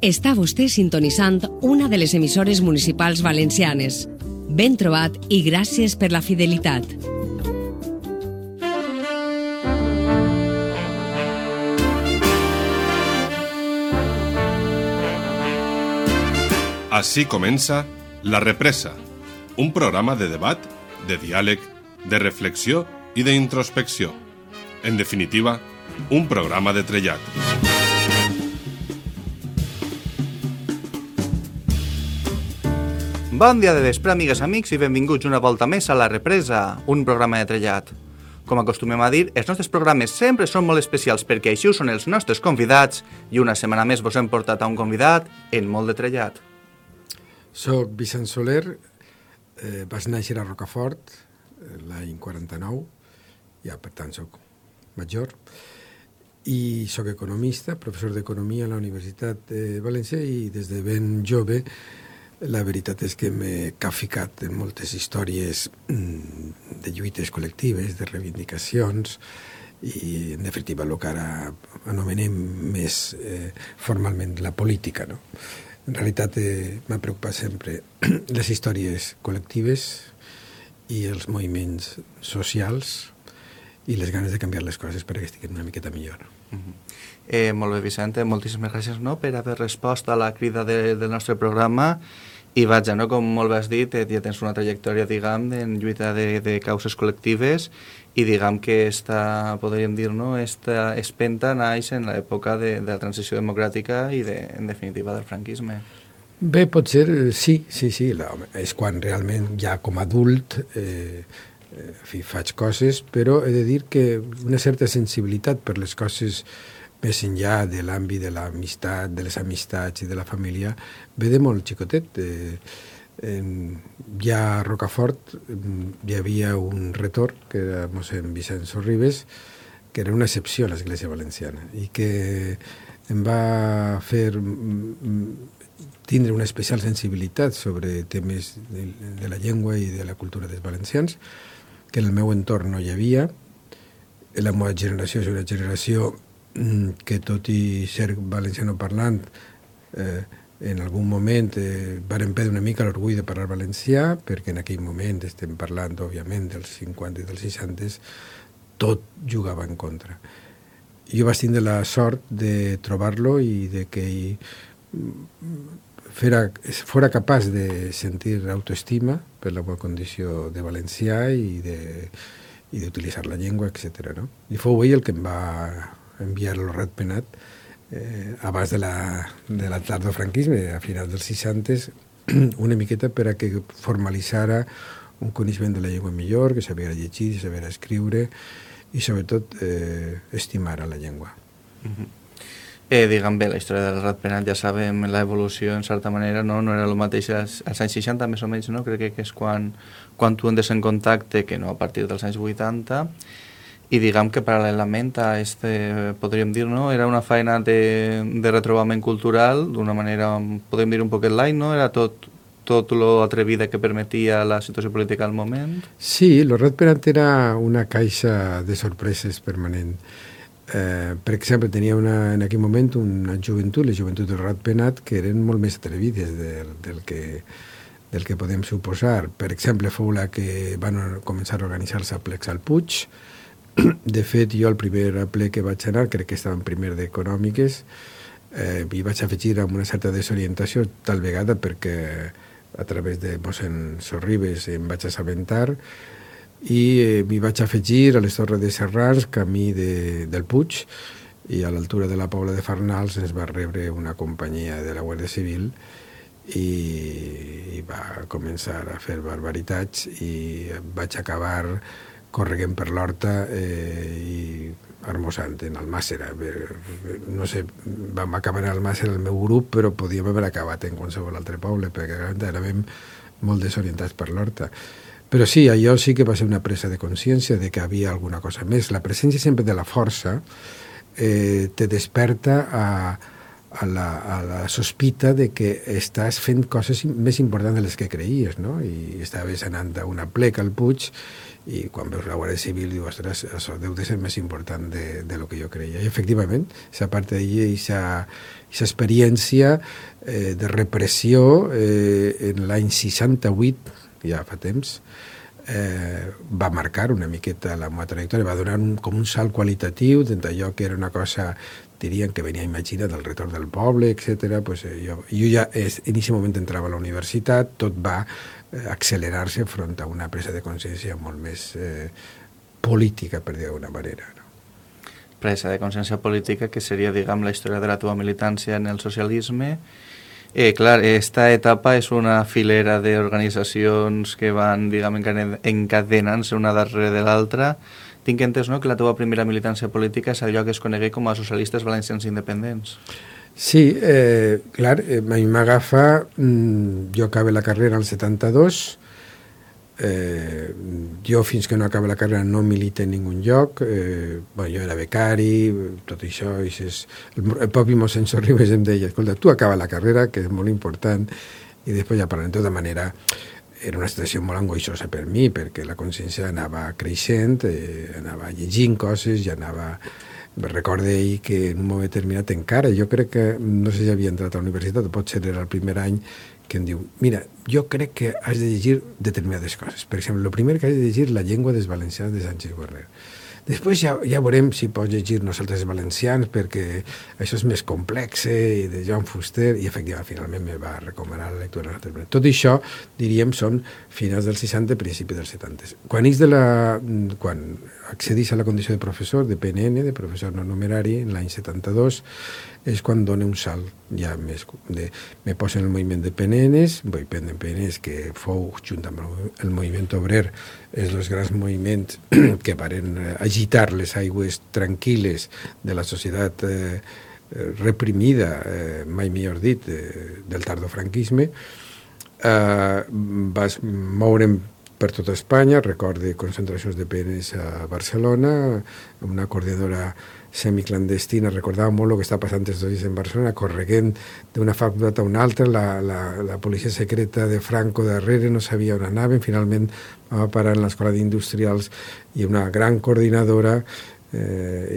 Està vostè sintonitzant una de les emissores municipals valencianes. Ben trobat i gràcies per la fidelitat. Així comença La Represa, un programa de debat, de diàleg, de reflexió i d'introspecció. En definitiva, un programa de trellat. Bon dia de vespre, amigues, amics, i benvinguts una volta més a La Represa, un programa de trellat. Com acostumem a dir, els nostres programes sempre són molt especials perquè així ho són els nostres convidats i una setmana més vos hem portat a un convidat en molt de trellat. Soc Vicent Soler, vaig néixer a Rocafort l'any 49, ja per tant soc major, i soc economista, professor d'economia a la Universitat de València i des de ben jove la veritat és que m'he capficat en moltes històries de lluites col·lectives, de reivindicacions i, en definitiva, el que ara anomenem més formalment la política, no? En realitat m'ha preocupat sempre les històries col·lectives i els moviments socials i les ganes de canviar les coses perquè estiguin una miqueta millor. Molt bé, Vicente, moltíssimes gràcies per haver respost a la crida del nostre programa. I vaja, com molt bé has dit, ja tens una trajectòria, diguem, en lluita de causes col·lectives i diguem que podríem dir, esta espenta naix en l'època de la transició democràtica i, en definitiva, del franquisme. Bé, potser sí. És quan realment ja com a adult faig coses, però he de dir que una certa sensibilitat per les coses més enllà de l'àmbit de l'amistat, de les amistats i de la família, ve de molt xicotet. Ja a Rocafort hi havia un retor, que era mossèn Vicent Sorribes, que era una excepció a l'Església Valenciana i que em va fer tindre una especial sensibilitat sobre temes de la llengua i de la cultura dels valencians, que en el meu entorn no hi havia. La meva generació és una generació que tot i ser valenciano parlant en algun moment varen perdre una mica l'orgull de parlar valencià, perquè en aquell moment estem parlant òbviament dels 50 i dels 60, tot jugava en contra. Jo vaig tindre la sort de trobar-lo i de que fora capaç de sentir autoestima per la meva condició de valencià i d'utilitzar la llengua, etc. No? I fou ell el que em va enviar el Ratpenat abans de la tardofranquisme, a finals dels 60, una miqueta per a que formalitzara un coneixement de la llengua millor, que sabia llegir, sabia escriure i sobretot estimar la llengua. Diguem bé, la història del Ratpenat ja sabem l'evolució en certa manera, no era el mateix als anys 60 més o menys, no? Crec que és quan tu entres en contacte, que no a partir dels anys 80, i diguem que paral·lelament a podríem dir, era una feina de retrobament cultural, d'una manera, podem dir un poquet light, no? Era tot lo atrevida que permetia la situació política al moment. Sí, el Ratpenat era una caixa de sorpreses permanent. Per exemple, tenia en aquell moment una joventut, la joventut del Ratpenat, que eren molt més atrevides del que podem suposar. Per exemple, fou la que van començar a organitzar-se a plecs al Puig. De fet, jo el primer ple que vaig anar, crec que estava en primer d'Econòmiques, m'hi vaig afegir amb una certa desorientació, tal vegada perquè a través de mossèn Sorribes em vaig assabentar i m'hi vaig afegir a les Torres de Serrans, camí del Puig, i a l'altura de la Pobla de Farnals ens va rebre una companyia de la Guàrdia Civil i va començar a fer barbaritats i vaig acabar correguent per l'horta i armosant en Almàssera. No sé, vam acabar en Almàssera el meu grup, però podíem haver acabat en qualsevol altre poble, perquè érem molt desorientats per l'horta. Però sí, allò sí que va ser una presa de consciència de que havia alguna cosa més. La presència sempre de la força te desperta a la sospita de que estàs fent coses més importants de les que creies, no? I estaves anant a una plec al Puig i quan veus la Guàrdia Civil dius, ostres, això deu de ser més important de lo que jo creia. I efectivament, a part d'ahir, aquesta experiència de repressió en l'any 68, ja fa temps, va marcar una miqueta la meva trajectòria, va donar com un salt qualitatiu d'allò que era una cosa, dirien que venia imaginat del retorn del poble, etc. Pues, jo ja en aquest moment entrava a la universitat, tot va accelerar-se front a una presa de consciència molt més política, per dir d'alguna manera. No? Presa de consciència política que seria, diguem, la història de la teva militància en el socialisme. Clar, esta etapa és una filera d'organitzacions que van, diguem, encadenant-se una darrere de l'altra. Tinc entès, no?, que la teva primera militància política és allò que es conegué com a socialistes valencians independents. Sí, clar, a mi m'agafa, jo acabé la carrera al 72, jo fins que no acabé la carrera no milité en ningun lloc, jo era becari, tot això, el propi mossèn Sorribes em deia, escolta, tu acaba la carrera, que és molt important, i després ja parlant de tota manera, era una situació molt angoixosa per mi, perquè la consciència anava creixent, anava llegint coses, ja anava... Recordo ahir que en un moment determinat encara, jo crec que, no sé si havia entrat a la universitat, potser era el primer any, que em diu, mira, jo crec que has de llegir determinades coses. Per exemple, el primer que has de llegir la llengua dels valencians de Sánchez Guerrer. Després ja veurem si pots llegir nosaltres valencians, perquè això és més complex, i de Joan Fuster, i efectivament, finalment me va recomanar la lectura. Tot això, diríem, són finals dels 60, principis dels 70. Quan accedís a la condició de professor, de PNN, de professor no numerari, en l'any 72, és quan dona un salt ja més... Me poso en el moviment de PNNs, moviment de PNNs que fou, junt amb el moviment obrer, és els grans moviments que varen agitar les aigües tranquil·les de la societat reprimida, mai millor dit, del tardofranquisme. Vas moure'm per tota Espanya, recorde concentracions de PNs a Barcelona, una coordinadora semiclandestina, recordava molt el que està passant aquests dies en Barcelona, correguent d'una facultat a una altra, la policia secreta de Franco darrere, no sabia on anaven, finalment va parar en l'Escola d'Industrials i una gran coordinadora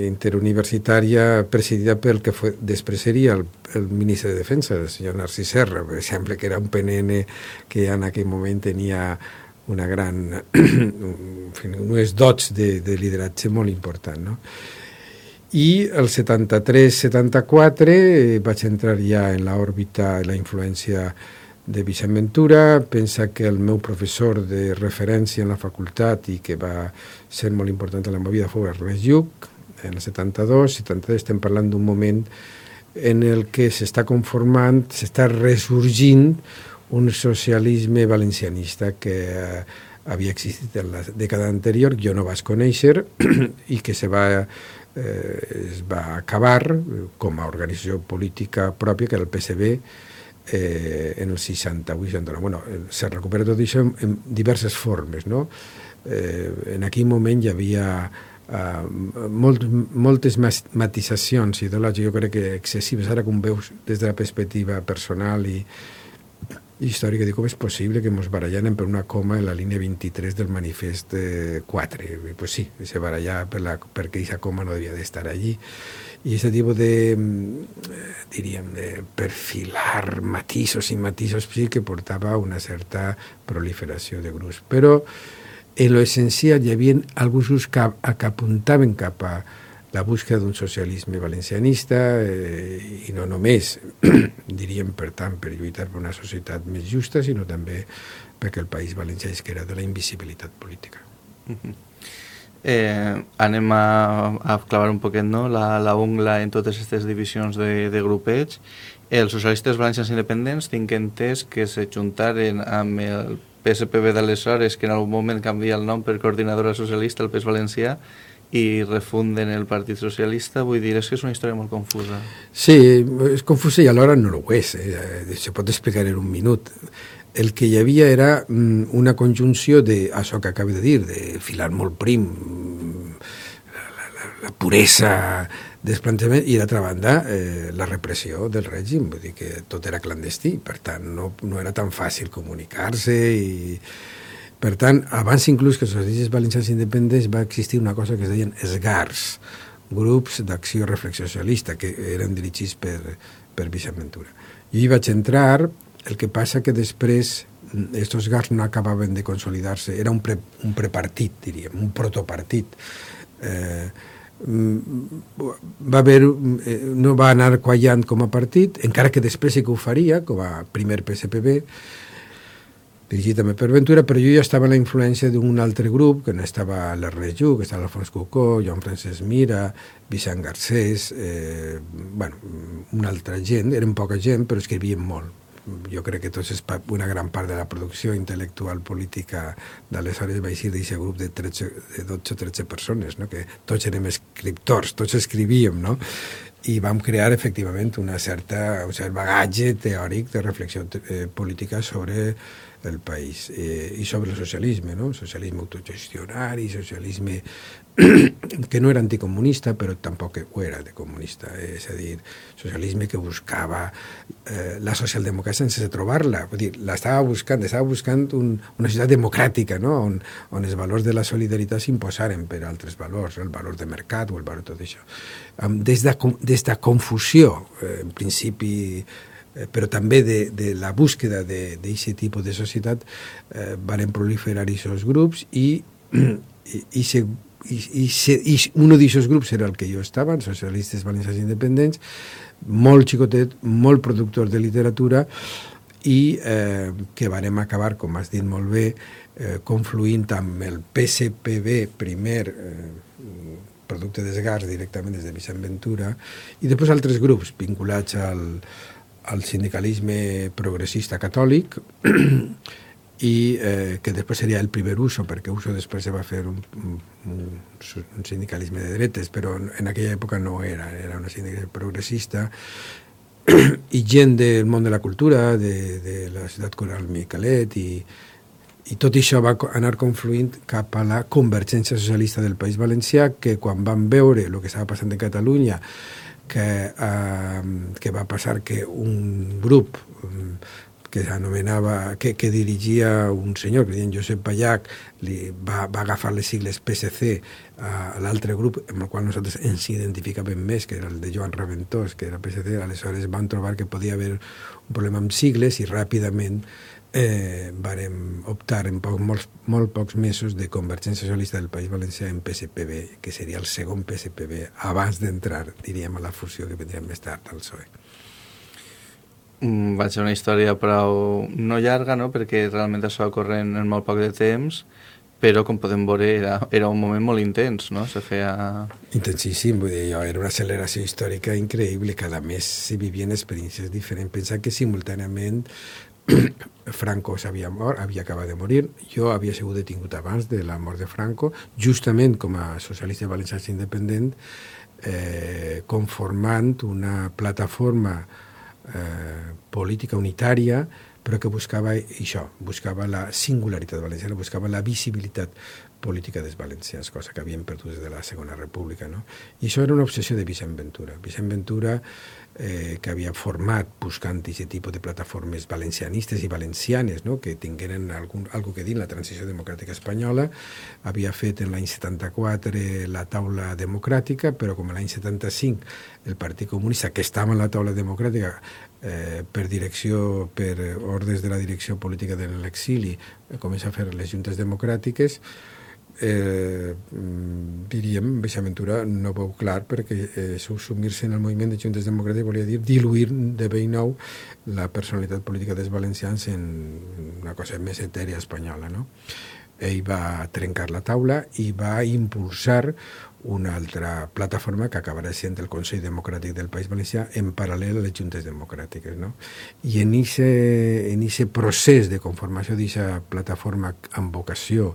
interuniversitària presidida pel que després seria el ministre de Defensa, el senyor Narcís Serra, per exemple, que era un PNN que en aquell moment tenia una gran unes dots de lideratge molt important, no? I el 73-74 vaig entrar ja en l'òrbita i la influència de Vicent Ventura. Pensa que el meu professor de referència en la facultat i que va ser molt important en la meva vida fou Ernest Lluch, en el 72-73. Estem parlant d'un moment en el que s'està conformant, s'està ressorgint un socialisme valencianista que havia existit en la dècada anterior, jo no vaig conèixer, i que es va acabar com a organització política pròpia, que era el PSB, en el 68-69. Bueno, se recupera tot això en diverses formes, no? En aquell moment hi havia moltes matisacions ideològiques, jo crec que excessives. Ara, com veus des de la perspectiva personal i històrica, dic, com és possible que ens barallem per una coma en la línia 23 del manifest 4? Pues sí, se barallava perquè aquesta coma no devia d'estar allí. I aquest tipus diríem, de perfilar matisos i matisos sí que portava una certa proliferació de grups. Però en l'essencial hi havia alguns grups que apuntaven cap a la búsqueda d'un socialisme valencianista i no només, diríem, per tant, per lluitar per una societat més justa, sinó també perquè el País Valencià és que era de la invisibilitat política. Anem a clavar un poquet, no?, la ungla en totes aquestes divisions de grupets. Els socialistes valencians independents tinc entès que se juntaren amb el PSPB d'aleshores, que en algun moment canvia el nom per Coordinadora Socialista, el PES Valencià, i refunden el Partit Socialista. Vull dir, és que és una història molt confusa. Sí, és confusa i alhora no ho és. Se pot explicar en un minut. El que hi havia era una conjunció d'això que acabo de dir, de filar molt prim, la puresa desplantejament, i d'altra banda la repressió del règim, vull dir que tot era clandestí, per tant no era tan fàcil comunicar-se, i per tant, abans inclús que els socialistes valencians independents va existir una cosa que es deien SGARs, grups d'acció i reflexió socialista, que eren dirigits per Vicent Ventura. Jo hi vaig entrar, el que passa que després estos GARs no acabaven de consolidar-se, era un prepartit, diríem, un protopartit. No va anar quallant com a partit, encara que després sí que ho faria, com a primer PSPB, dirigit també per Ventura, però jo ja estava en la influència d'un altre grup, que no estava l'Ernest Lluch, que estava Alfons Cucó, Joan Francesc Mira, Vicent Garcés, una altra gent, eren poca gent, però escrivien molt. Jo crec que una gran part de la producció intel·lectual política d'aleshores va eixir d'aquest grup de 12 o 13 persones, no? Que tots érem escriptors, tots escrivíem, no? I vam crear efectivament un cert bagatge teòric de reflexió política sobre el país i sobre el socialisme, no? Socialisme autogestionari, socialisme que no era anticomunista, però tampoc ho era de comunista, és a dir, socialisme que buscava la socialdemocràcia sense trobar-la, vull dir, estava buscant una societat democràtica, no? On els valors de la solidaritat s'imposaren per altres valors, el valor de mercat o el valor de tot això. Des de confusió, en principi, però també de la búsqueda d'aquest tipus de societat, van proliferar aquests grups i un d'aquests grups era el que jo estava, els socialistes valencians independents, molt xicotet, molt productor de literatura, i que vam acabar, com has dit molt bé, confluint amb el PSPB, primer producte d'esgars directament des de Vicent Ventura, i després altres grups vinculats al sindicalisme progressista catòlic, i que després seria el primer Uso, perquè Uso després se va fer un sindicalisme de dretes, però en aquella època no era una sindicalisme progressista, i gent del món de la cultura, de la ciutat coral Miquelet, i tot això va anar confluint cap a la convergència socialista del País Valencià, que quan van veure el que estava passant en Catalunya, que va passar que un grup que s'anomenava, que dirigia un senyor que deien Josep Pallach, va agafar les sigles PSC a l'altre grup amb el qual nosaltres ens identificàvem més, que era el de Joan Raventós, que era PSC. Aleshores van trobar que podia haver un problema amb sigles i ràpidament vàrem optar en molt pocs mesos de Convergència Socialista del País Valencià en PSPB, que seria el segon PSPB abans d'entrar, diríem, a la fusió que vendria més tard al PSOE. Va ser una història prou no llarga, no? Perquè realment això va ocorrer en molt poc de temps, però com podem veure era un moment molt intens, no? Se feia... Intensíssim, vull dir, era una acceleració històrica increïble, cada mes s'hi vivien experiències diferents. Pensar que simultàniament Franco havia acabat de morir, jo havia sigut detingut abans de la mort de Franco, justament com a socialista valencià independent, conformant una plataforma política unitària, però que buscava això, buscava la singularitat valenciana, buscava la visibilitat política dels valencians, cosa que havien perdut des de la Segona República, no? I això era una obsessió de Vicent Ventura. Vicent Ventura, que havia format buscant aquest tipus de plataformes valencianistes i valencianes, no? Que tingueren algo que dir en la transició democràtica espanyola, havia fet en l'any 74 la taula democràtica, però com l'any 75 el Partit Comunista, que estava en la taula democràtica per ordres de la direcció política de l'exili, comença a fer les juntes democràtiques, diríem, Vicent Ventura no veu clar, perquè subsumir-se en el moviment de juntes democràtiques volia dir diluir de vell nou la personalitat política dels valencians en una cosa més etèria espanyola, no? Ell va trencar la taula i va impulsar una altra plataforma que acabarà sent el Consell Democràtic del País Valencià en paral·lel a les juntes democràtiques, no? I en aquest procés de conformació d'aquesta plataforma amb vocació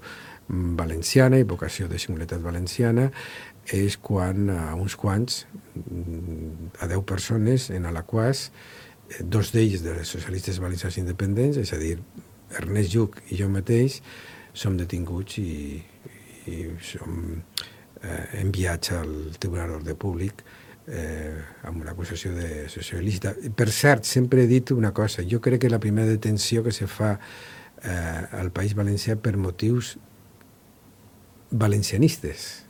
valenciana i vocació de singularitat valenciana és quan a uns quants, a 10 persones, en Alaquàs, 2 d'ells dels socialistes valencians independents, és a dir, Ernest Lluch i jo mateix, som detinguts i som enviats al Tribunal d'Ordre Públic amb una acusació de associació il·lícita. Per cert, sempre he dit una cosa, jo crec que la primera detenció que se fa al País Valencià per motius valencianistes,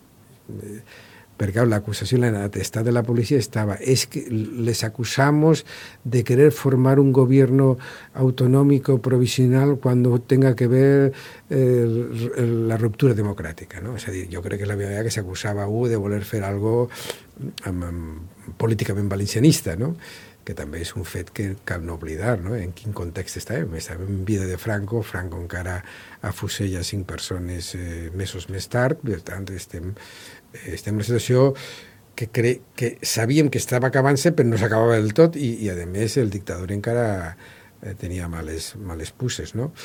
perquè l'acusació, l'atestat de la policía estaba, es que les acusamos de querer formar un gobierno autonómico provisional cuando tenga que ver la ruptura democràtica, no? És a dir, jo crec que és la primera vegada que s'acusava de voler fer algo políticament valencianista, no? Que també és un fet que cal no oblidar, no? En quin context estàvem? Estàvem en vida de Franco, Franco encara afusella 5 persones mesos més tard, per tant estem en una situació que sabíem que estava acabant-se però no s'acabava del tot i a més el dictador encara tenia males puces, no?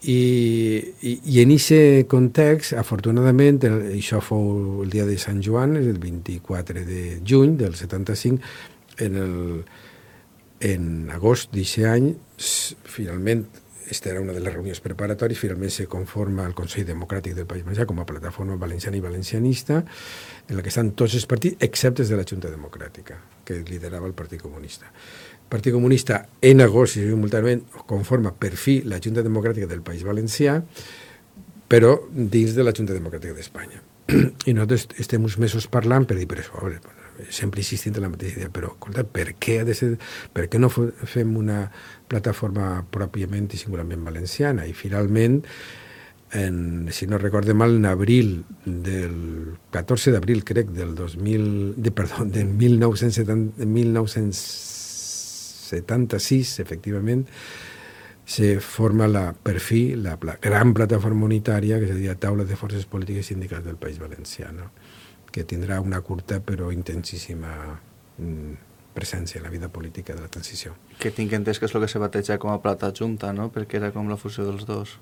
I en aquest context, afortunadament, això fou el dia de Sant Joan, el 24 de juny del 75, en agost d'aquest any, finalment, esta era una de les reunions preparatòries, finalment se conforma el Consell Democràtic del País Valencià com a plataforma valenciana i valencianista, en la que estan tots els partits, excepte de la Junta Democràtica, que liderava el Partit Comunista. El Partit Comunista, en agost i simultàniament, conforma per fi la Junta Democràtica del País Valencià, però dins de la Junta Democràtica d'Espanya. I nosaltres estem uns mesos parlant per dir, per això, sempre insistint en la mateixa idea, però escolta, per què no fem una plataforma pròpiament i singularment valenciana? I finalment, si no recorde mal, en abril del 14 d'abril, crec, del 1976, efectivament, se forma per fi la gran plataforma unitària que seria Taula de Forces Polítiques i Sindicals del País Valencià, no? Que tindrà una curta però intensíssima presència en la vida política de la transició. Que tinc entès que és el que se bateja com a plata junta, no? Perquè era com la fusió dels dos.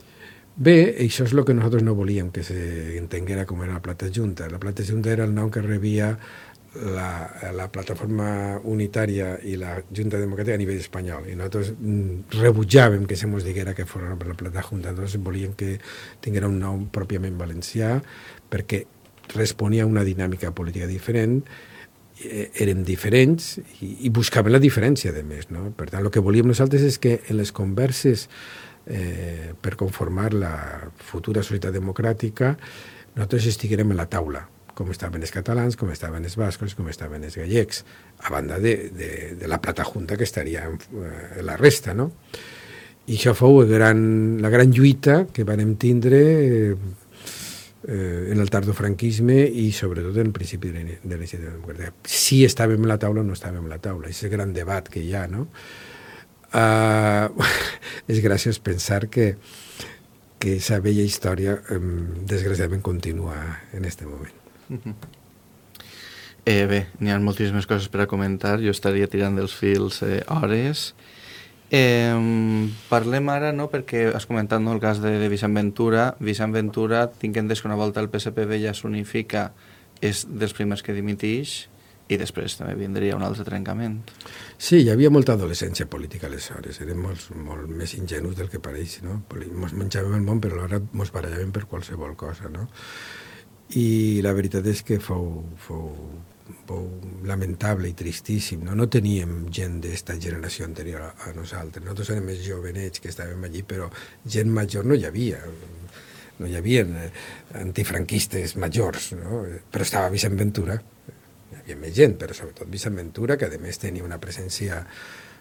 Bé, això és el que nosaltres no volíem que s'entenguera com era la plata junta. La plata junta era el nom que rebia la plataforma unitària i la Junta Democràtica a nivell espanyol, i nosaltres rebutjàvem que se mos diguera que fos la plata junta. Nosaltres volíem que tinguera un nom pròpiament valencià perquè responia a una dinàmica política diferent, érem diferents i buscàvem la diferència, a més, no? Per tant, el que volíem nosaltres és que en les converses per conformar la futura societat democràtica nosaltres estiguérem a la taula, com estaven els catalans, com estaven els bascos, com estaven els gallecs, a banda de la plata junta que estaria en la resta, no? I això fou la gran lluita que vam tindre en el tardofranquisme i sobretot en el principi de la iniciativa democràtica. Si estàvem a la taula o no estàvem a la taula, és el gran debat que hi ha, no? És graciós pensar que aquesta vella història desgraciadament continua en aquest moment. Bé, n'hi ha moltíssimes coses per a comentar, jo estaria tirant dels fils hores. Parlem ara, no?, perquè has comentat, no, el cas de Vicent Ventura. Vicent Ventura, tinc entès que una volta el PSPV ja s'unifica, és dels primers que dimitix, i després també vindria un altre trencament. Sí, hi havia molta adolescència política aleshores, érem molt més ingenus del que pareix, no? Ens menjàvem el món, però alhora ens barallàvem per qualsevol cosa, no? I la veritat és que fou lamentable i tristíssim, no? No teníem gent d'esta generació anterior a nosaltres, nosaltres érem més jovenets que estàvem allí, però gent major no hi havia, no hi havia antifranquistes majors, no? Però estava Vicent Ventura, hi havia més gent, però sobretot Vicent Ventura, que a més tenia una presència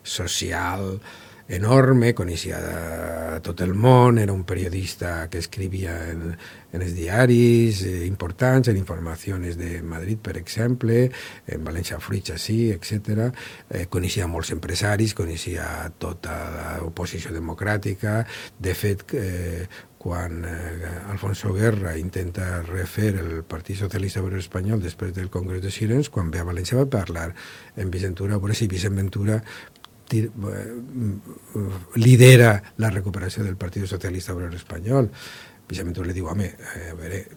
social enorme, coneixia tot el món, era un periodista que escrivia en els diaris importants, en Informaciones de Madrid, per exemple, en València Fruits, sí, etc. Coneixia molts empresaris, coneixia tota l'oposició democràtica. De fet, quan Alfonso Guerra intenta refer el Partit Socialista Obrero Espanyol després del Congrés de Sirens, quan ve a València va parlar en Vicent Ventura, a veure si Vicent Ventura lidera la recuperació del Partit Socialista Obrero Espanyol. Vicent Ventura li diu, home, a veure,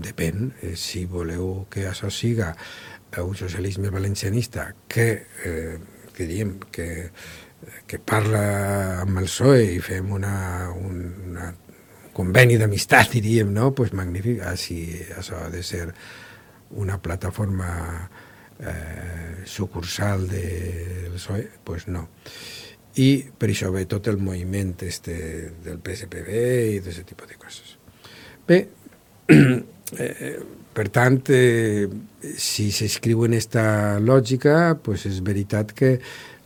depèn, si voleu que això siga un socialisme valencianista que parla amb el PSOE i fem un conveni d'amistat, diríem, no? Pues magnífic, si això ha de ser una plataforma sucursal del PSOE, pues no. I per això ve tot el moviment del PSPB i d'aquest tipus de coses. Bé, per tant, si s'escriu en esta lògica, pues és veritat que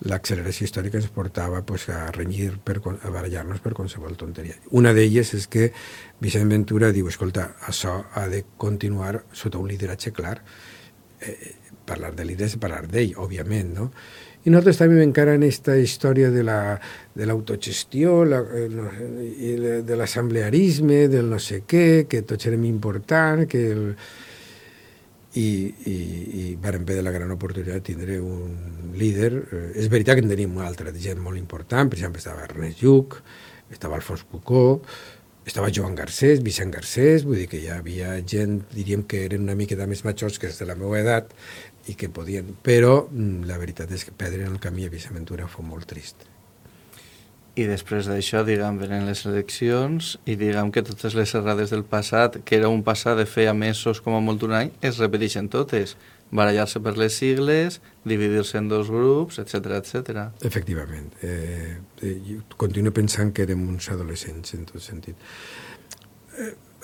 l'acceleració històrica ens portava pues, a renyir, a barallar-nos per qualsevol tonteria. Una d'elles és que Vicent Ventura diu, escolta, això ha de continuar sota un lideratge clar. Parlar de líder és parlar d'ell, òbviament, no? I nosaltres també encara en aquesta història de l'autogestió, de l'assemblearisme, del no sé què, que tots érem importants, i vàrem haver de la gran oportunitat de tindre un líder. És veritat que en teníem una altra gent molt important, per exemple estava Ernest Lluch, estava Alfons Cucó, estava Joan Garcés, Vicent Garcés, vull dir que hi havia gent, diríem que eren una miqueta més majors que és de la meva edat i que podien, però la veritat és que perdre en el camí a Vicent Ventura fou molt trist. I després d'això, diguem, venen les eleccions i diguem que totes les errades del passat, que era un passat de feia mesos com a molt un any, es repeteixen totes. Barallar-se per les sigles, dividir-se en dos grups, etc etc. Efectivament. Jo continuo pensant que érem uns adolescents en tot sentit.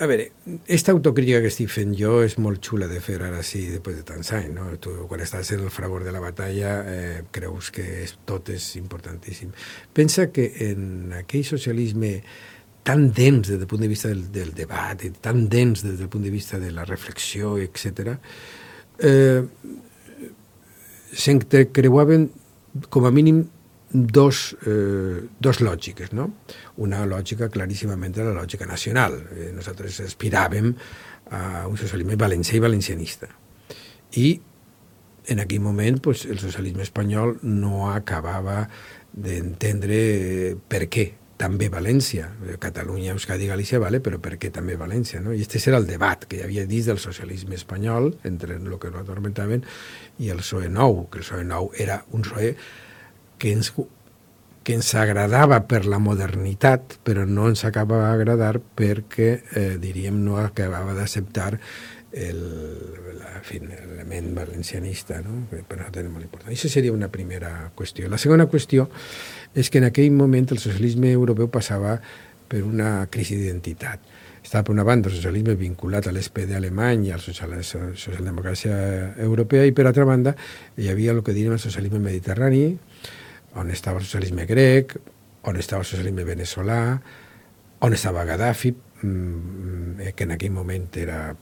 A veure, aquesta autocrítica que estic fent jo és molt xula de fer ara sí, després de tants anys, no? Tu, quan estàs en el fragor de la batalla, creus que tot és importantíssim. Pensa que en aquell socialisme tan dens des del punt de vista del debat, tan dens des del punt de vista de la reflexió, etc., s'entrecreuaven com a mínim dos lògiques, no? Una lògica claríssimament de la lògica nacional. Nosaltres aspiràvem a un socialisme valencià i valencianista. I en aquell moment pues, el socialisme espanyol no acabava d'entendre per què també València, Catalunya, Euskadi, Galícia, vale, però per què també València? No? I aquest era el debat que hi havia dins del socialisme espanyol, entre el que nosaltres atormentaven i el PSOE nou, que el PSOE nou era un PSOE que ens agradava per la modernitat, però no ens acabava d'agradar perquè, diríem, no acabava d'acceptar l'element valencianista, no? Que per nosaltres és molt important. Això seria una primera qüestió. La segona qüestió és que en aquell moment el socialisme europeu passava per una crisi d'identitat. Estava, per una banda, el socialisme vinculat a l'SPD alemany i a la socialdemocràcia europea, i per altra banda hi havia el que diríem el socialisme mediterrani, on estava el socialisme grec, on estava el socialisme veneçolà, on estava Gaddafi, que en aquell moment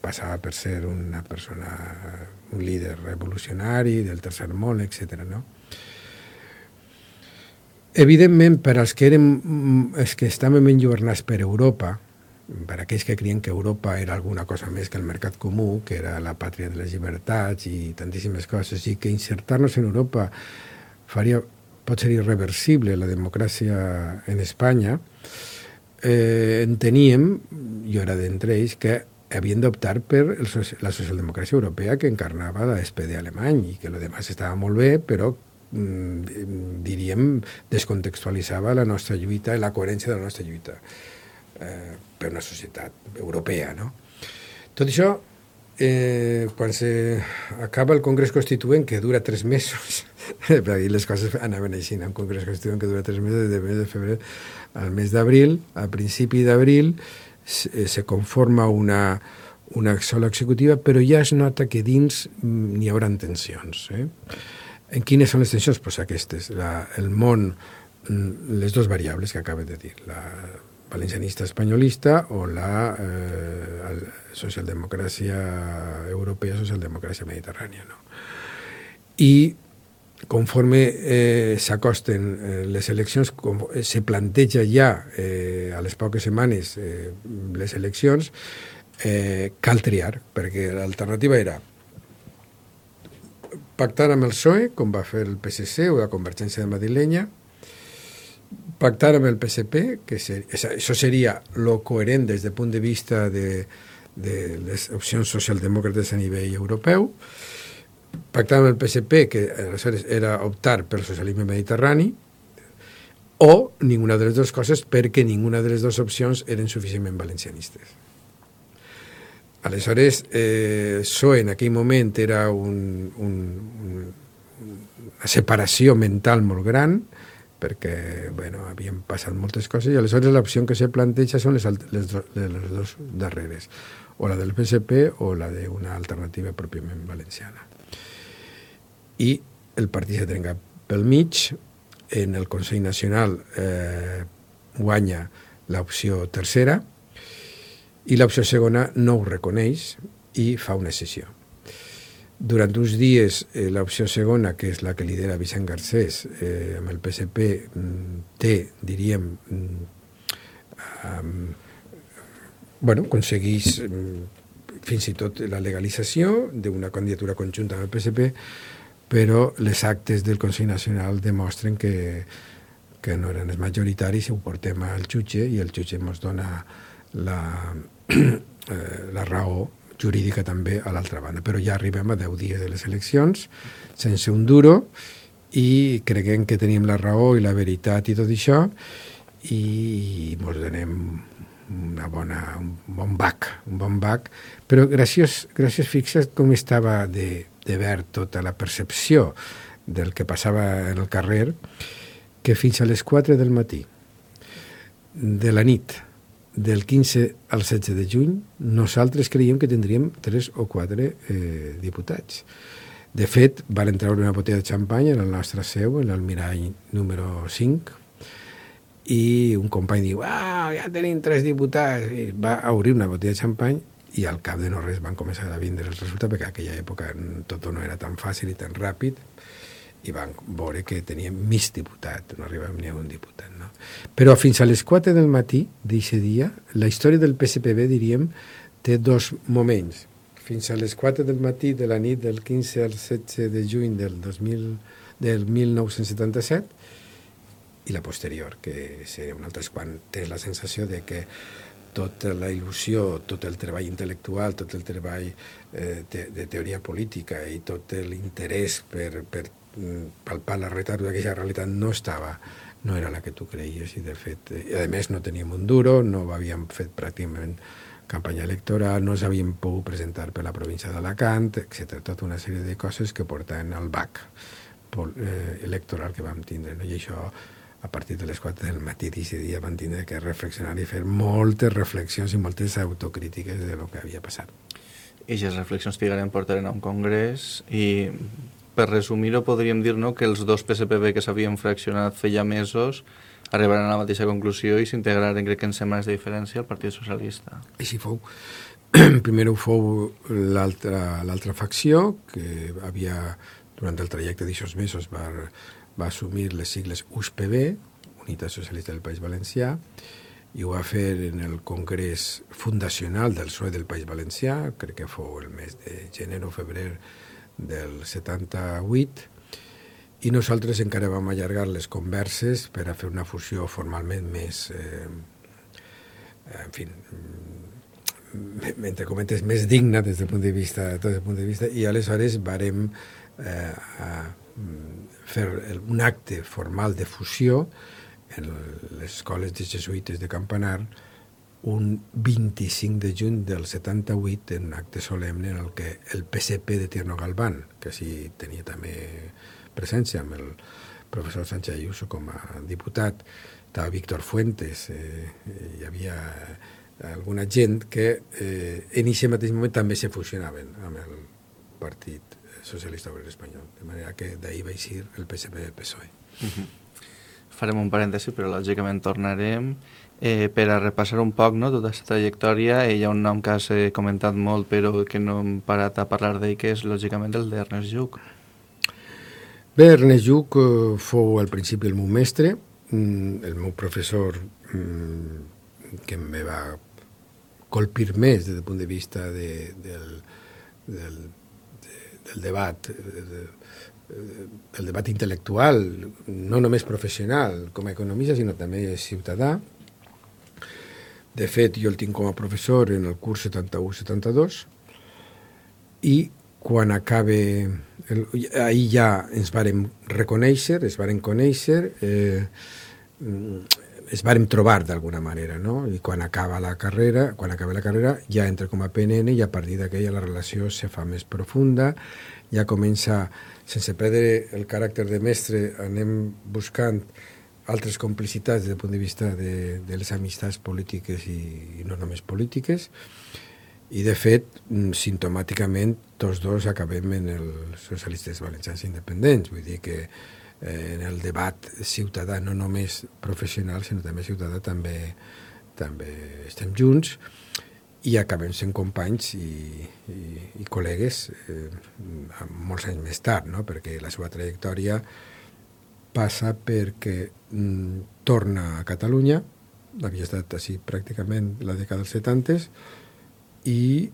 passava per ser una persona, un líder revolucionari del tercer món, etc. No? Evidentment, per als que estàvem enlluernats per Europa, per aquells que creien que Europa era alguna cosa més que el mercat comú, que era la pàtria de les llibertats i tantíssimes coses, i que insertar-nos en Europa pot ser irreversible la democràcia en Espanya, enteníem, jo era d'entre ells, que havien d'optar per la socialdemocràcia europea que encarnava l'SPD alemany i que el demás estava molt bé, però diríem, descontextualitzava la nostra lluita i la coherència de la nostra lluita per una societat europea, no? Tot això, quan s'acaba el Congrés Constituent, que dura 3 mesos, perquè les coses anaven així, un Congrés Constituent que dura 3 mesos, de mes de febrer al mes d'abril, a principi d'abril se conforma una sola executiva, però ja es nota que dins n'hi haurà tensions. En quines són les tensions? Pues aquestes, el món, les dues variables que acabo de dir, la valencianista espanyolista o la socialdemocràcia europea, socialdemocràcia mediterrània. No? I conforme s'acosten les eleccions, se planteja ja a les poques setmanes les eleccions, cal triar, perquè l'alternativa era pactar amb el PSOE, com va fer el PSC o la Convergència Madrilenya, pactar amb el PSP, que això seria lo coherent des del punt de vista de les opcions socialdemòcrates a nivell europeu, pactar amb el PSP, que aleshores era optar pel socialisme mediterrani, o ninguna de les dues coses, perquè ninguna de les dues opcions eren suficientment valencianistes. Aleshores, PSOE en aquell moment era una separació mental molt gran, perquè havien passat moltes coses, i aleshores l'opció que se planteja són les dues darreres, o la del PSP o la d'una alternativa pròpiament valenciana. I el partit se trenca pel mig, en el Consell Nacional guanya l'opció tercera, i l'opció segona no ho reconeix i fa una sessió. Durant uns dies, l'opció segona, que és la que lidera Vicent Garcés, amb el PSP, aconsegueix fins i tot la legalització d'una candidatura conjunta amb el PSP, però les actes del Consell Nacional demostren que no eren els majoritaris, i ho portem al jutge, i el jutge ens dona la raó jurídica també a l'altra banda. Però ja arribem a 10 dies de les eleccions, sense un duro, i creguem que tenim la raó i la veritat i tot això, i ens donem un bon bac. Però gràcies, fixa't com estava de verd tota la percepció del que passava en el carrer, que fins a les 4 del matí de la nit del 15 al 16 de juny nosaltres creiem que tindríem 3 o 4 diputats. De fet, van treure una botella de xampany en el nostre seu, en l'Almirall número 5, i un company diu, ja tenim 3 diputats, i va obrir una botella de xampany, i al cap de no res van començar a vindre els resultats, perquè en aquella època tot no era tan fàcil i tan ràpid, i van veure que teníem mig diputat, no arribàvem ni a un diputat. No? Però fins a les 4 del matí d'aquest dia, la història del PSPB, diríem, té 2 moments. Fins a les 4 del matí de la nit del 15 al 16 de juny del 1977, i la posterior, que seria un altre quan tens la sensació de que tota la il·lusió, tot el treball intel·lectual, tot el treball de teoria política i tot l'interès per palpar la realitat d'aquesta realitat no era la que tu creies, i de fet, a més no teníem un duro, no havíem fet pràcticament campanya electoral, no s'havien pogut presentar per la província d'Alacant, etc. Tota una sèrie de coses que portaven al bac electoral que vam tindre, no? I això, a partir de les 4 del matí d'aquest dia, van tindre que reflexionar i fer moltes reflexions i moltes autocrítiques de lo que havia passat. I aquestes reflexions trigarem portaren a un congrés, i per resumir-ho podríem dir, no, que els dos PSPB que s'havien fraccionat feia mesos arribaren a la mateixa conclusió i s'integraren, crec que en setmanes de diferència, al Partit Socialista. Així fou. Primer ho fou l'altra facció, que havia, durant el trajecte d'aixòs mesos, va assumir les sigles USPB, Unitat Socialista del País Valencià, i ho va fer en el Congrés Fundacional del PSOE del País Valencià, crec que fou el mes de gener o febrer del 78, i nosaltres encara vam allargar les converses per a fer una fusió formalment més, entre cometes, més digna des del punt de vista, i aleshores varem fer un acte formal de fusió en les escoles de jesuïtes de Campanar un 25 de juny del 78, en un acte solemne en el que el PSP de Tierno Galván, que sí tenia també presència amb el professor Sánchez Ayuso com a diputat, estava Víctor Fuentes, hi havia alguna gent que en aquest mateix moment també se fusionaven amb el Partit Socialista Obrer Espanyol, de manera que d'ahir va eixir el PSP-PSOE. Farem un parèntesi, però lògicament tornarem per a repassar un poc, no, tota aquesta trajectòria. Hi ha un nom que has comentat molt però que no hem parat a parlar d'ell, que és lògicament el d'Ernest Lluch. Bé, Ernest Lluch fou al principi el meu mestre, el meu professor que em va colpir més des del punt de vista del debat, el debat intel·lectual, no només professional com a economista, sinó també ciutadà. De fet, jo el tinc com a professor en el curs 71-72, i quan acabe... ahir ja ens vàrem reconèixer, es vàrem conèixer, es varen trobar d'alguna manera, no? I quan acaba la carrera ja entra com a PNN i a partir d'aquella la relació se fa més profunda, ja comença, sense perdre el caràcter de mestre, anem buscant altres complicitats des del punt de vista de les amistats polítiques i no només polítiques, i de fet, simptomàticament, tots dos acabem en els socialistes valencians independents, vull dir que en el debat ciutadà, no només professional, sinó també ciutadà, també estem junts i acabem sent companys i col·legues molts anys més tard, no? Perquè la seva trajectòria passa perquè torna a Catalunya, havia estat així pràcticament la dècada dels 70 i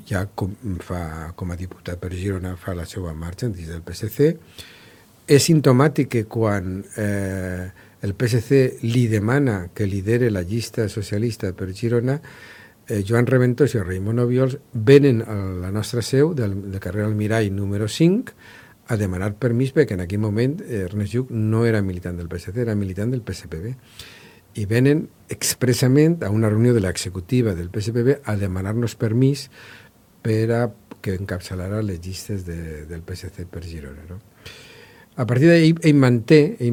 ja com a diputat per Girona fa la seva marxa dins del PSC. És simptomàtic que quan el PSC li demana que lidere la llista socialista per Girona, Joan Reventós i Raimon Obiols venen a la nostra seu del carrer Almirall número 5 a demanar permís perquè en aquell moment Ernest Lluch no era militant del PSC, era militant del PSPB. I venen expressament a una reunió de l'executiva del PSPB a demanar-nos permís per a que encapçalara les llistes del PSC per Girona, no? A partir d'ahir ell manté ell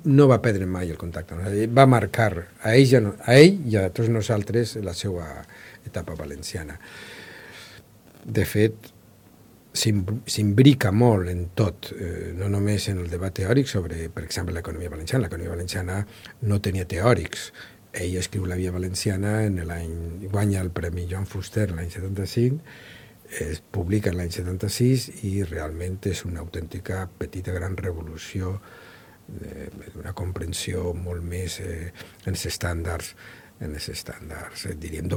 no va perdre mai el contacte, no? Va marcar a ell i a tots nosaltres la seva etapa valenciana. De fet, s'imbrica molt en tot, no només en el debat teòric sobre, per exemple, l'economia valenciana. L'economia valenciana no tenia teòrics. Ell escriu La Via Valenciana guanya el Premi Joan Fuster l'any 75, es publica l'any 76 i realment és una autèntica petita gran revolució, una comprensió molt més en els estàndards, diríem,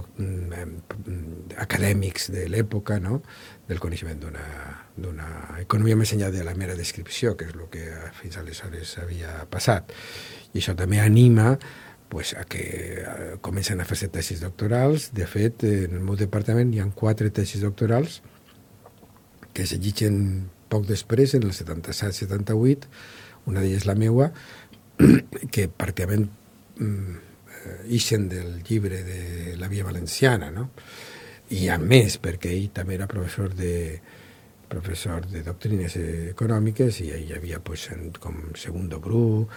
acadèmics de l'època, no? Del coneixement d'una economia més enllà de la mera descripció, que és el que fins aleshores havia passat. I això també anima a que comencen a fer-se tesis doctorals. De fet, en el meu departament hi ha 4 tesis doctorals que s'allitgen poc després, en el 77-78, una d'elles la meua, que pràcticament ixen del llibre de La Via Valenciana, no? I a més, perquè ell també era professor de doctrines econòmiques i hi havia com Segundo Bru,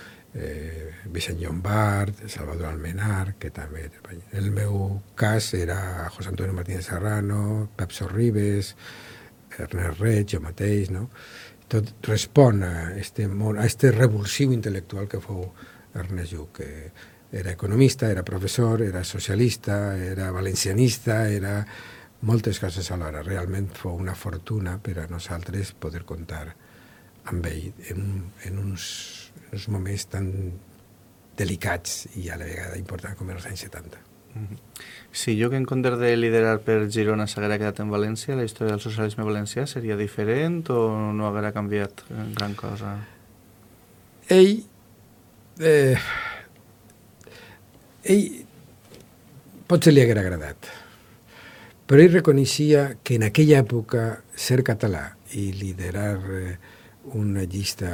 Vicent Llombart, Salvador Almenar, que també... En el meu cas era José Antonio Martínez Serrano, Pep Sorribes, Ernest Reig, jo mateix, no? Tot respon a este revulsiu intel·lectual que fou Ernest Lluch, que era economista, era professor, era socialista, era valencianista, era moltes coses alhora. Realment fou una fortuna per a nosaltres poder comptar amb ell en uns moments tan delicats i a la vegada importants com els anys 70. Si Lluch, en comptes de liderar per Girona, s'haguera quedat en València, la història del socialisme valencià seria diferent o no haguera canviat gran cosa? Ell potser li haguera agradat, però ell reconeixia que en aquella època ser català i liderar una llista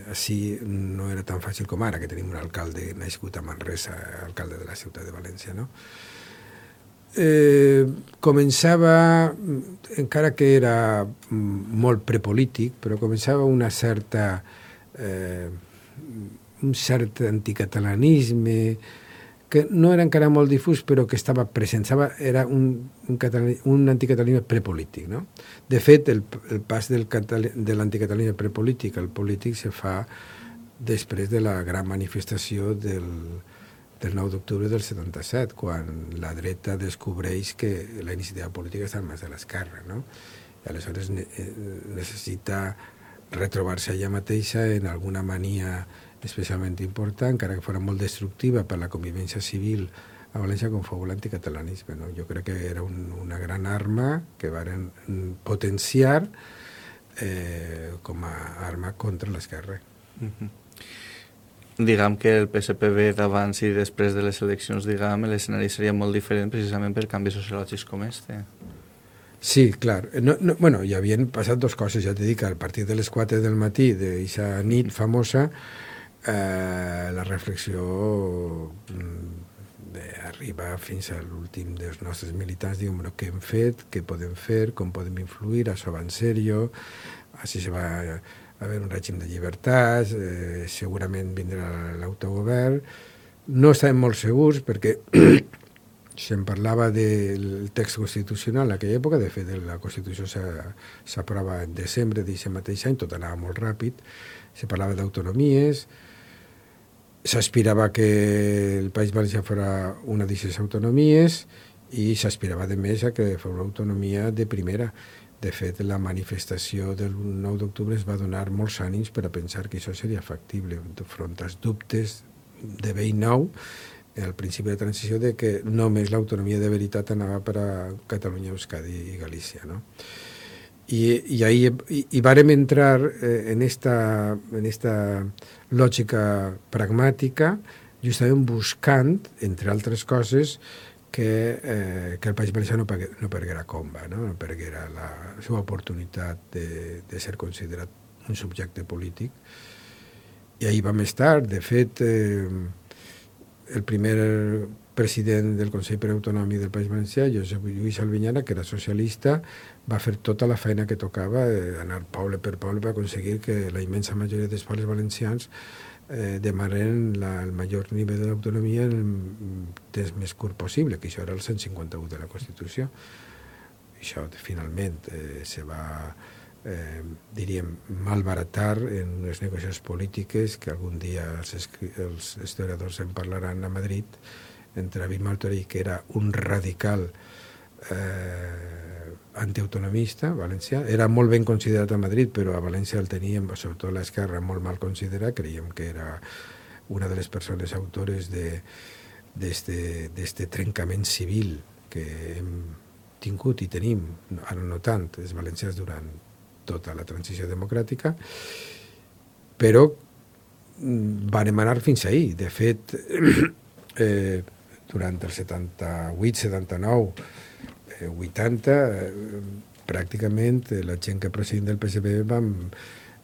així no era tan fàcil com ara, que tenim un alcalde nascut a Manresa, alcalde de la ciutat de València, no? Començava, encara que era molt prepolític, però començava un cert anticatalanisme que no era encara molt difús, però que estava present. Era un anticatalanisme prepolític, no? De fet, el pas de l'anticatalanisme prepolític al polític se fa després de la gran manifestació del 9 d'octubre del 77, quan la dreta descobreix que la iniciativa política està en mans de l'esquerra, no? I aleshores necessita retrobar-se ella mateixa en alguna mania especialment important, encara que fos molt destructiva per la convivència civil a València, com fou l'anticatalanisme, no? Jo crec que era una gran arma que varen potenciar com a arma contra l'esquerra. Diguem que el PSPB d'abans i després de les eleccions, l'escenari seria molt diferent precisament per canvis sociològics com este. Sí, clar. Bueno, hi havien passat dues coses, ja t'he dit que a partir de les 4 del matí d'aquesta nit famosa la reflexió arriba fins a l'últim dels nostres militants, diuen, bueno, què hem fet, què podem fer, com podem influir, això va en sèrio, així se va haver un règim de llibertats, segurament vindrà l'autogovern. No estàvem molt segurs perquè se'n parlava del text constitucional en aquella època, de fet la Constitució s'aprova en desembre d'aquest mateix any, tot anava molt ràpid, se parlava d'autonomies, s'aspirava que el País Valencià fos una d'aquestes autonomies i s'aspirava de més a que fos una autonomia de primera. De fet, la manifestació del 9 d'octubre es va donar molts ànims per a pensar que això seria factible, enfront als dubtes de vell nou, al principi de la transició, de que només l'autonomia de veritat anava per a Catalunya, Euskadi i Galícia, no? I ahí vàrem entrar en esta lògica pragmàtica, justament buscant, entre altres coses, que el País Valencià no perguera comba, no perguera la seva oportunitat de ser considerat un subjecte polític. I ahí vam estar. De fet, el primer president del Consell Preautonòmic del País Valencià, Josep Lluís Albinyana, que era socialista, va fer tota la feina que tocava, anar poble per poble per aconseguir que la immensa majoria dels pobles valencians demanen el major nivell d'autonomia en el temps més curt possible, que això era el 151 de la Constitució. Això finalment se va, diríem, malbaratar en unes negociacions polítiques que algun dia els historiadors en parlaran a Madrid, entre David Martorell, que era un radical antiautonomista valencià, era molt ben considerat a Madrid, però a València el teníem, sobretot l'esquerra, molt mal considerat. Creiem que era una de les persones autores d'este trencament civil que hem tingut i tenim, ara no tant, els valencians durant tota la transició democràtica, però van anar fins ahir. De fet, durant el 78, 79, 80, pràcticament la gent que procedien del PSPB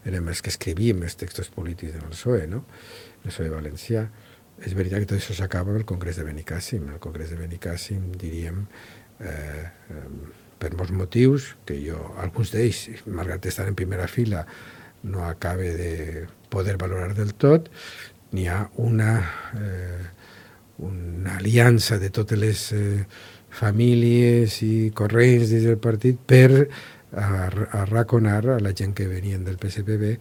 érem els que escrivíem els textos polítics del PSOE, no? El PSOE valencià. És veritat que tot això s'acaba amb el Congrés de Benicàssim. El Congrés de Benicàssim, diríem, per molts motius, que jo, alguns d'ells, malgrat estar en primera fila, no acabe de poder valorar del tot, n'hi ha una aliança de totes les famílies i corrents dins del partit per arraconar a la gent que venien del PSPB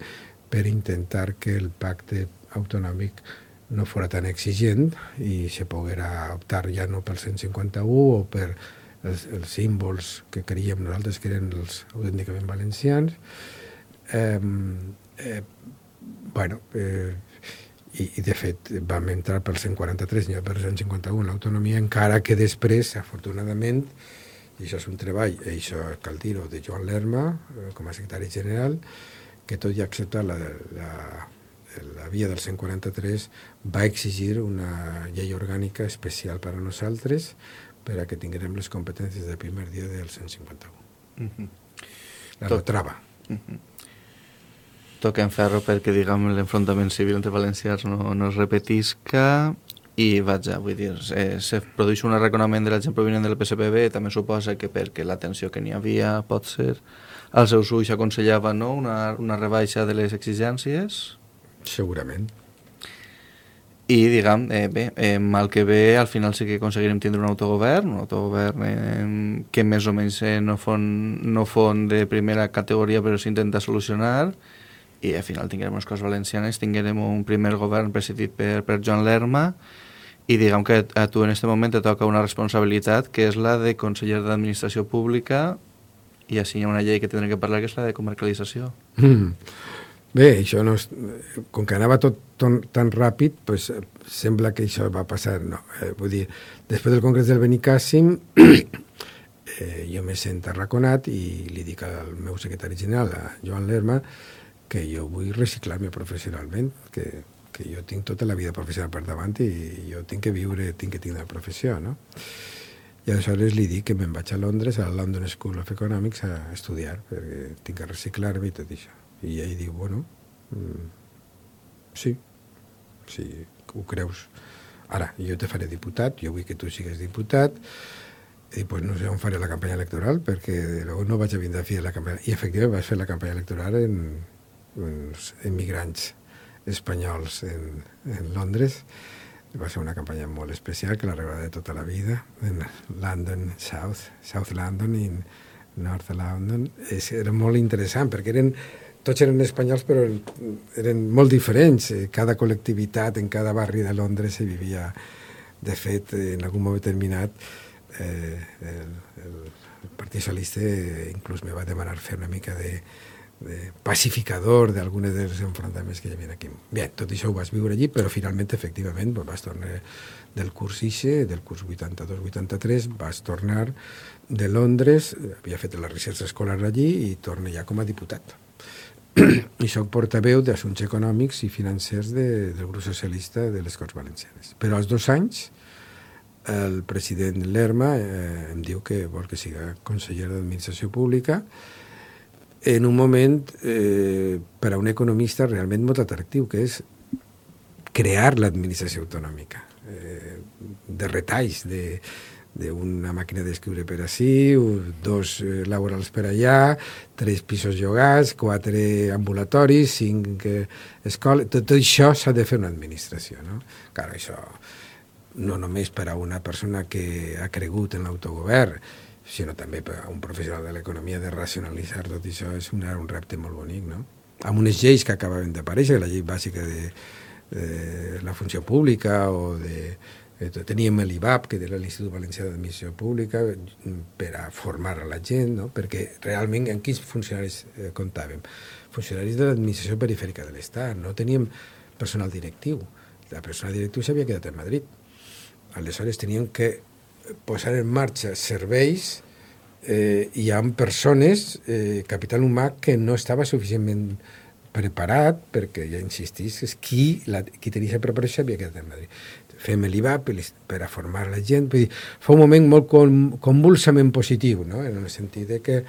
per intentar que el pacte autonòmic no fos tan exigent i se poguera optar ja no pel 151 o per els símbols que creiem nosaltres que eren els autènticament valencians. I de fet vam entrar pel 143 i per 151 l'autonomia, encara que després, afortunadament, i això és un treball, i això cal dir-ho, de Joan Lerma com a secretari general, que tot i acceptar la via del 143 va exigir una llei orgànica especial per a nosaltres per a que tinguem les competències del primer dia del 151. La trava. Toquem ferro perquè, diguem, l'enfrontament civil entre valencians no es repetisca i, vaja, vull dir, se produeix un arraconament de la gent provinent del PSPB, també suposa que perquè la tensió que n'hi havia, pot ser, als seus ulls aconsellava, no?, una rebaixa de les exigències. Segurament. I, diguem, mal que bé, al final sí que aconseguirem tindre un autogovern que més o menys no fon de primera categoria, però s'intenta solucionar, i al final tinguem unes coses valencianes, tinguem un primer govern presidit per Joan Lerma, i diguem que a tu en aquest moment te toca una responsabilitat, que és la de conseller d'administració pública, i així hi ha una llei que tindrem que parlar, que és la de comarcalització. Bé, això no és, com que anava tot tan ràpid, pues, sembla que això va passar. No, vull dir, després del Congrés del Benicàssim, jo me sent arraconat i li dic al meu secretari general, a Joan Lerma, que jo vull reciclar-me professionalment, que jo tinc tota la vida professional per davant i jo tinc que viure, tinc que tindre la professió, no? I aleshores li dic que me'n vaig a Londres, a la London School of Economics, a estudiar, perquè tinc que reciclar-me i tot això. I ell diu, bueno, sí, ho creus. Ara, jo te faré diputat, jo vull que tu sigues diputat, i pues no sé on faré la campanya electoral, perquè no vaig a vindre a fer la campanya. I efectivament vaig fer la campanya electoral en emigrants espanyols en Londres. Va ser una campanya molt especial, que la recordaré tota la vida, en London, South London i North London. Era molt interessant, perquè tots eren espanyols, però eren molt diferents. Cada col·lectivitat en cada barri de Londres se vivia. De fet, en algun moment determinat, el Partit Socialista inclús me va demanar fer una mica de pacificador d'algunes dels enfrontaments que hi havia aquí. Bé, tot això ho vas viure allí, però finalment, efectivament, vas tornar del curs 82-83, vas tornar de Londres, havia fet la recerca escolar allí i torna ja com a diputat. I soc portaveu d'assumptes econòmics i financers del grup socialista de les Corts Valencianes. Però als 2 anys el president Lerma em diu que vol que siga conseller d'Administració Pública en un moment per a un economista realment molt atractiu, que és crear l'administració autonòmica, de retalls, d'una màquina d'escriure per ací, 2 laborals per allà, 3 pisos llogats, 4 ambulatoris, 5 escoles. Tot això s'ha de fer una administració, no? Clar, això no només per a una persona que ha cregut en l'autogovern, sinó també per a un professional de l'economia, de racionalitzar tot això és un repte molt bonic, no? Amb unes lleis que acabaven d'aparèixer, la llei bàsica de la funció pública, o teníem l'IVAP, que era l'Institut Valencià d'Administració Pública, per a formar a la gent, no? Perquè realment en quins funcionaris comptàvem? Funcionaris de l'administració perifèrica de l'Estat, no teníem personal directiu. La personal directiu s'havia quedat a Madrid. Aleshores teníem que posar en marxa serveis i amb persones, capital humà, que no estava suficientment preparat, perquè, ja insistís, qui tenia la preparació havia quedat a Madrid. Fem l'IVAP per a formar la gent. Fa un moment molt convulsament positiu, no? En el sentit de que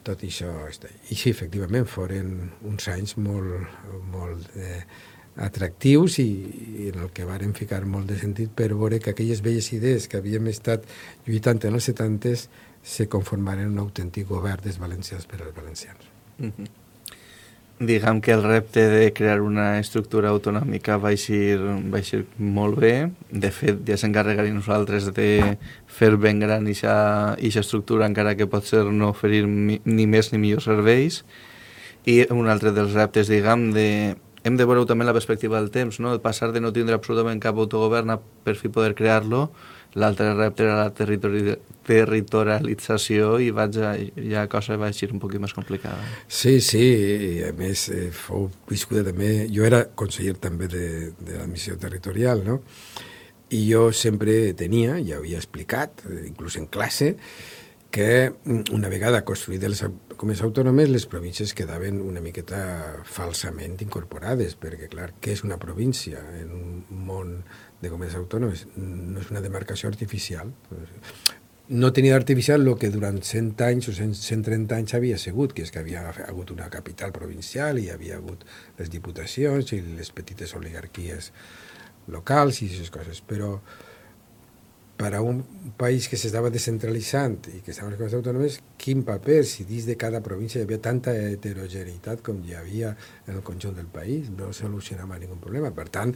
tot això està. I sí, efectivament, foren uns anys molt atractius i en el que varen ficar molt de sentit per veure que aquelles velles idees que havíem estat lluitant en els 70s se conformaren en un autèntic govern dels valencians per als valencians. Diguem que el repte de crear una estructura autonòmica va eixir molt bé. De fet, ja s'encarregarem nosaltres de fer ben gran aquesta estructura, encara que pot ser no oferir ni més ni millors serveis. I un altre dels reptes, diguem, hem de veure també la perspectiva del temps, no? Passar de no tindre absolutament cap autogovern a per fi poder crear-lo. L'altre repte era la territorialització i ja cosa va ser un poc més complicada. Sí, i a més fou viscuda també. Jo era conseller també de l'administració territorial, no? I jo sempre tenia, ja havia explicat, inclús en classe, que una vegada construïdes les comunitats autònomes, les províncies quedaven una miqueta falsament incorporades, perquè, clar, què és una província en un món de comunitats autònomes? No és una demarcació artificial. No tenia artificial el que durant 100 anys o 130 anys havia sigut, que és que havia hagut una capital provincial i hi havia hagut les diputacions i les petites oligarquies locals i aquestes coses, però per a un país que s'estava descentralitzant i que estaven les comunitats autònomes, quin paper, si dins de cada província hi havia tanta heterogeneïtat com hi havia en el conjunt del país, no solucionava ningú problema. Per tant,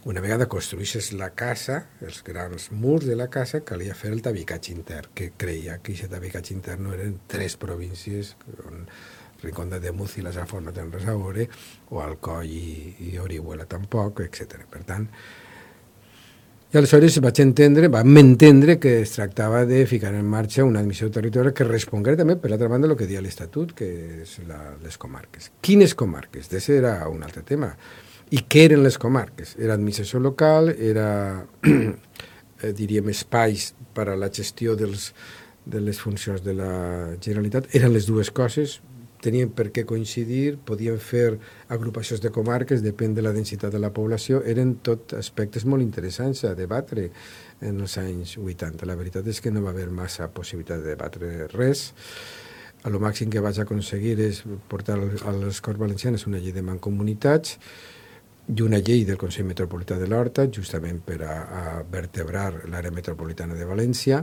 una vegada construïsses la casa, els grans murs de la casa, calia fer el tabicatge intern, que creia que aquest tabicatge intern no eren 3 províncies, on Rincón de Ademuz i la Safor no tenen res a veure, o Alcoi i Orihuela tampoc, etc. Per tant, i aleshores vam entendre que es tractava de ficar en marxa una administració territorial que respongués també, per l'altra banda, el que dia l'Estatut, que és les comarques. Quines comarques? Aquest era un altre tema. I què eren les comarques? Era administració local, era, diríem, espais per a la gestió de les funcions de la Generalitat. Eren les dues coses, tenien per què coincidir, podien fer agrupacions de comarques, depèn de la densitat de la població, eren tot aspectes molt interessants a debatre en els anys 80. La veritat és que no va haver massa possibilitat de debatre res. A lo màxim que vaig aconseguir és portar a les Corts Valencianes una llei de mancomunitats i una llei del Consell Metropolità de l'Horta, justament per a vertebrar l'àrea metropolitana de València,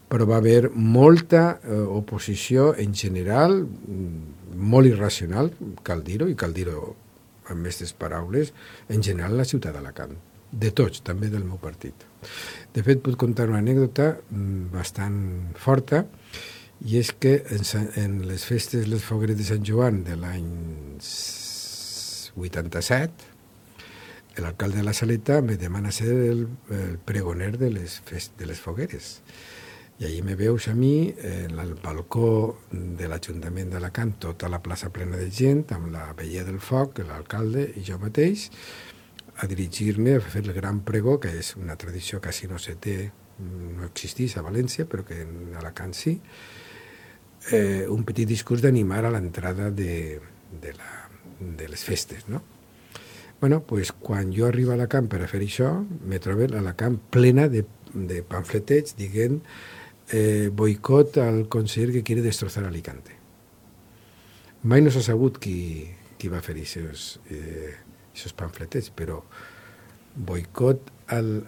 però va haver molta oposició en general, molt irracional, cal dir-ho, i cal dir-ho amb aquestes paraules, en general a la ciutat d'Alacant, de tots, també del meu partit. De fet, puc contar una anècdota bastant forta, i és que en les festes, les fogueres de Sant Joan de l'any 87, l'alcalde de la Saleta me demana ser el pregoner de les fogueres. I allí me veus a mi, en el balcó de l'Ajuntament d'Alacant, tota la plaça plena de gent, amb la veilla del foc, l'alcalde i jo mateix, a dirigir-me a fer el gran pregó, que és una tradició que quasi no se té, no existeix a València, però que en Alacant sí, un petit discurs d'animar a l'entrada de les festes, no? Bueno, pues, quan jo arribo a Alacant per a fer això, me trobo l'Alacant plena de pamfletets dient boicot al conseller que quiere destrozar Alicante. Mai no s'ha sabut qui va fer aquests pamfletets, però boicot al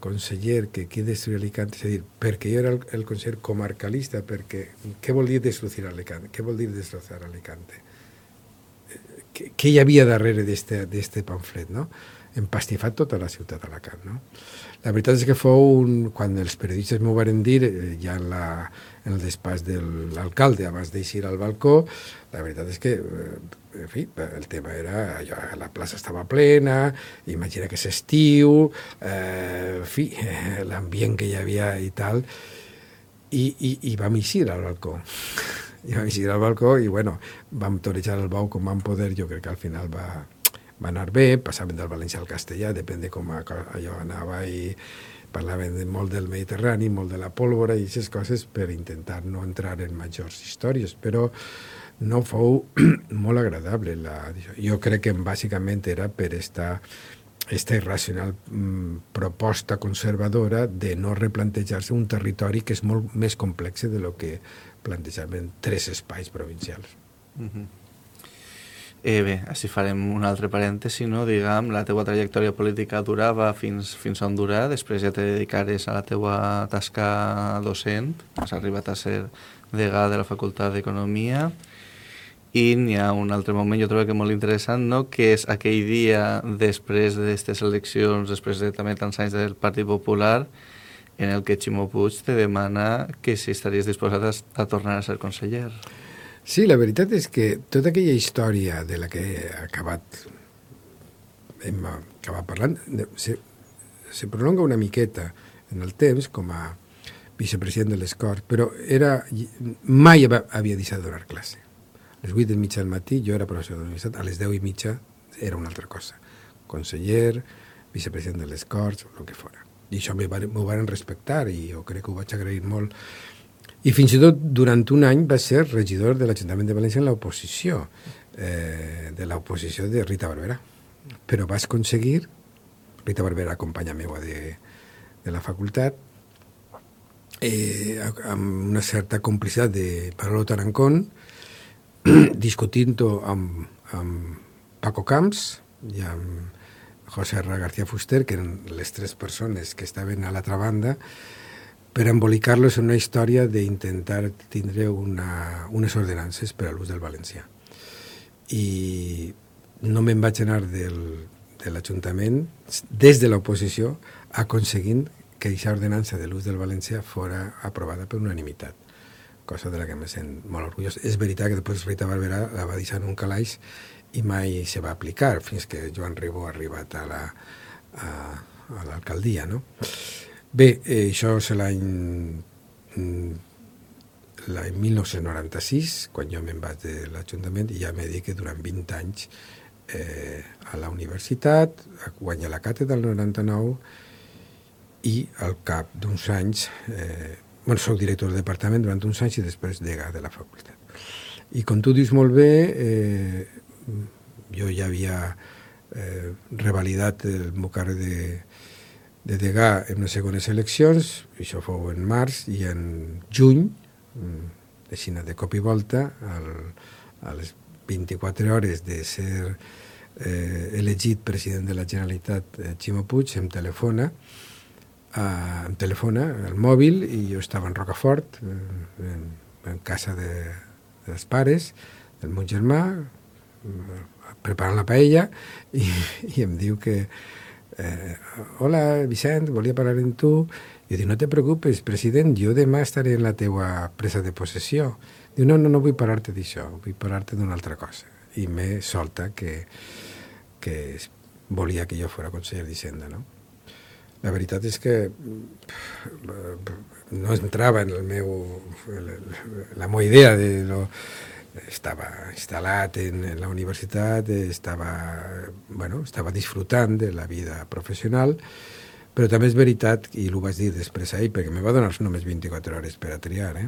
conseller que quiere destruir Alicante, és a dir, perquè jo era el conseller comarcalista, perquè què vol dir destruir Alicante? Què vol dir destrozar Alicante? Què hi havia darrere d'aquest pamflet, no? Empastifat tota la ciutat d'Alacant, no? La veritat és que quan els periodistes m'ho van dir, ja en el despatx de l'alcalde, abans d'eixir al balcó, la veritat és que, en fi, el tema era, la plaça estava plena, imagina que és estiu, en fi, l'ambient que hi havia i tal, i vam eixir al balcó. I vam eixir al balcó i, bueno, vam torejar el bou com vam poder. Jo crec que al final va anar bé, passaven del valencià al castellà, depèn de com allò anava, i parlaven molt del Mediterrani, molt de la pólvora i aquestes coses, per intentar no entrar en majors històries, però no fou molt agradable. Jo crec que bàsicament era per esta irracional proposta conservadora de no replantejar-se un territori que és molt més complex de lo que plantejaven 3 espais provincials. Bé, així farem un altre parèntesi, no? Diguem, la teua trajectòria política durava fins on durà, després ja te dedicares a la teua tasca docent, has arribat a ser degà de la Facultat d'Economia, i n'hi ha un altre moment, jo trobo que molt interessant, no? Que és aquell dia després d'aquestes eleccions, després de també tants anys del Partit Popular, en el que Ximo Puig te demana que si estaries disposat a tornar a ser conseller. Sí, la veritat és que tota aquella història de la que hem acabat parlant se prolonga una miqueta en el temps com a vicepresident de les Corts, però mai havia deixat de donar classe. A les 8 del mitjà del matí jo era professor de la universitat, a les 10 i mitja era una altra cosa. Conseller, vicepresident de les Corts, el que fora. I això m'ho van respectar i jo crec que ho vaig agrair molt. I fins i tot durant un any va ser regidor de l'Ajuntament de València en l'oposició, de l'oposició de Rita Barberà. Però vas aconseguir, Rita Barberà, companya meva de la facultat, amb una certa complicitat de Manolo Tarancón, discutint-ho amb Paco Camps i amb José R. García Fuster, que eren les 3 persones que estaven a l'altra banda, per embolicar-los en una història d'intentar tindre unes ordenances per a l'ús del valencià. I no me'n vaig anar de l'Ajuntament, des de l'oposició, aconseguint que aquesta ordenança de l'ús del valencià fora aprovada per unanimitat, cosa de la que me sent molt orgullós. És veritat que després Rita Barberà la va deixar en un calaix i mai se va aplicar, fins que Joan Ribó ha arribat a l'alcaldia, no? Bé, això és l'any 1996, quan jo me'n vaig de l'Ajuntament, i ja m'he dit que durant 20 anys a la universitat, guanyar la càtedra del 99, i al cap d'uns anys, soc director del departament durant uns anys i després degà de la facultat. I com tu dius molt bé, jo ja havia revalidat el meu càrrec de degà en unes segones eleccions, això fou en març, i en juny, així de cop i volta, a les 24 hores de ser elegit president de la Generalitat, Ximo Puig em telefona al mòbil, i jo estava en Rocafort, en casa dels pares, del meu germà, preparant la paella, i em diu que hola, Vicent, volia parlar amb tu. Jo dic, no te preocupes, president, jo demà estaré en la teua presa de possessió. Diu, no vull parlar-te d'això, vull parlar-te d'una altra cosa. I me solta que volia que jo fos conseller d'Hisenda, no? La veritat és que no entrava en la meva idea de lo... Estava instal·lat en la universitat, estava disfrutant de la vida professional, però també és veritat, i ho vaig dir després ahir, perquè me va donar només 24 hores per a triar,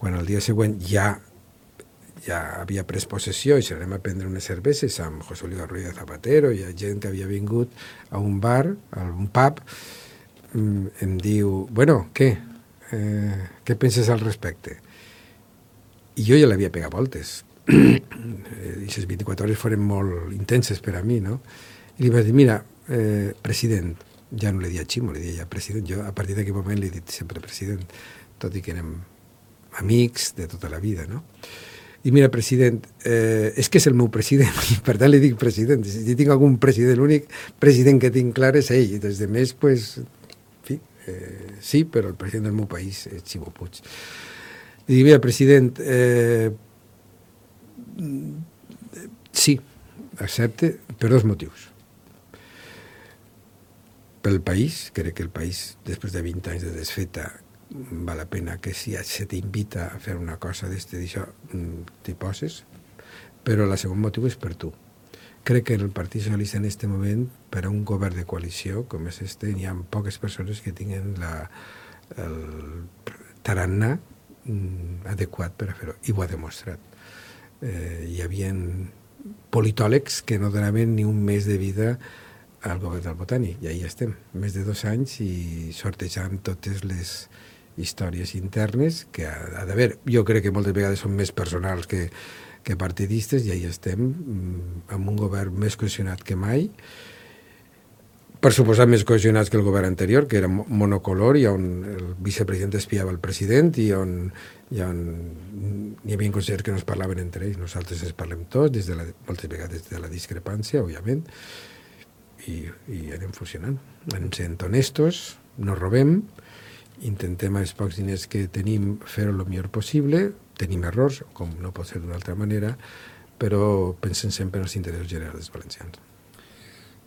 quan el dia següent ja havia pres possessió i s'anem a prendre unes cerveses amb José Luis Rodríguez Zapatero, i hi ha gent que havia vingut a un bar, a un pub, em diu, bueno, què? Què penses al respecte? I jo ja l'havia pegat voltes. I les 24 hores foren molt intenses per a mi, no? I li vaig dir, mira, president, ja no li dia Ximo, li dia ja president, jo a partir d'aquell moment li he dit sempre president, tot i que érem amics de tota la vida, no? I mira, president, és que és el meu president, i per tant li dic president. Si tinc algun president, l'únic president que tinc clar és ell, i des de més, pues, en fi, sí, però el president del meu país és Ximo Puig. I dic, mira, president, sí, accepte per dos motius. Pel país, crec que el país, després de 20 anys de desfeta, val la pena que si se t'invita a fer una cosa d'això, t'hi poses, però el segon motiu és per tu. Crec que en el Partit Socialista en aquest moment, per a un govern de coalició com és hi ha poques persones que tinguen el tarannà adequat per a fer-ho, i ho ha demostrat. Hi havia politòlegs que no donaven ni un mes de vida al govern del Botànic, i ahí estem, més de 2 anys i sortejant totes les històries internes que ha d'haver. Jo crec que moltes vegades són més personals que partidistes, i ahí estem amb un govern més cohesionat que mai, per suposar més cohesionats que el govern anterior, que era monocolor, i on el vicepresident espiava el president, i on hi havia consellers que no es parlaven entre ells. Nosaltres ens parlem tots, moltes vegades de la discrepància, òbviament, i anem funcionant. Anem sent honestos, no robem, intentem els pocs diners que tenim fer-ho el millor possible, tenim errors, com no pot ser d'una altra manera, però pensem sempre en els interessos generals dels valencians.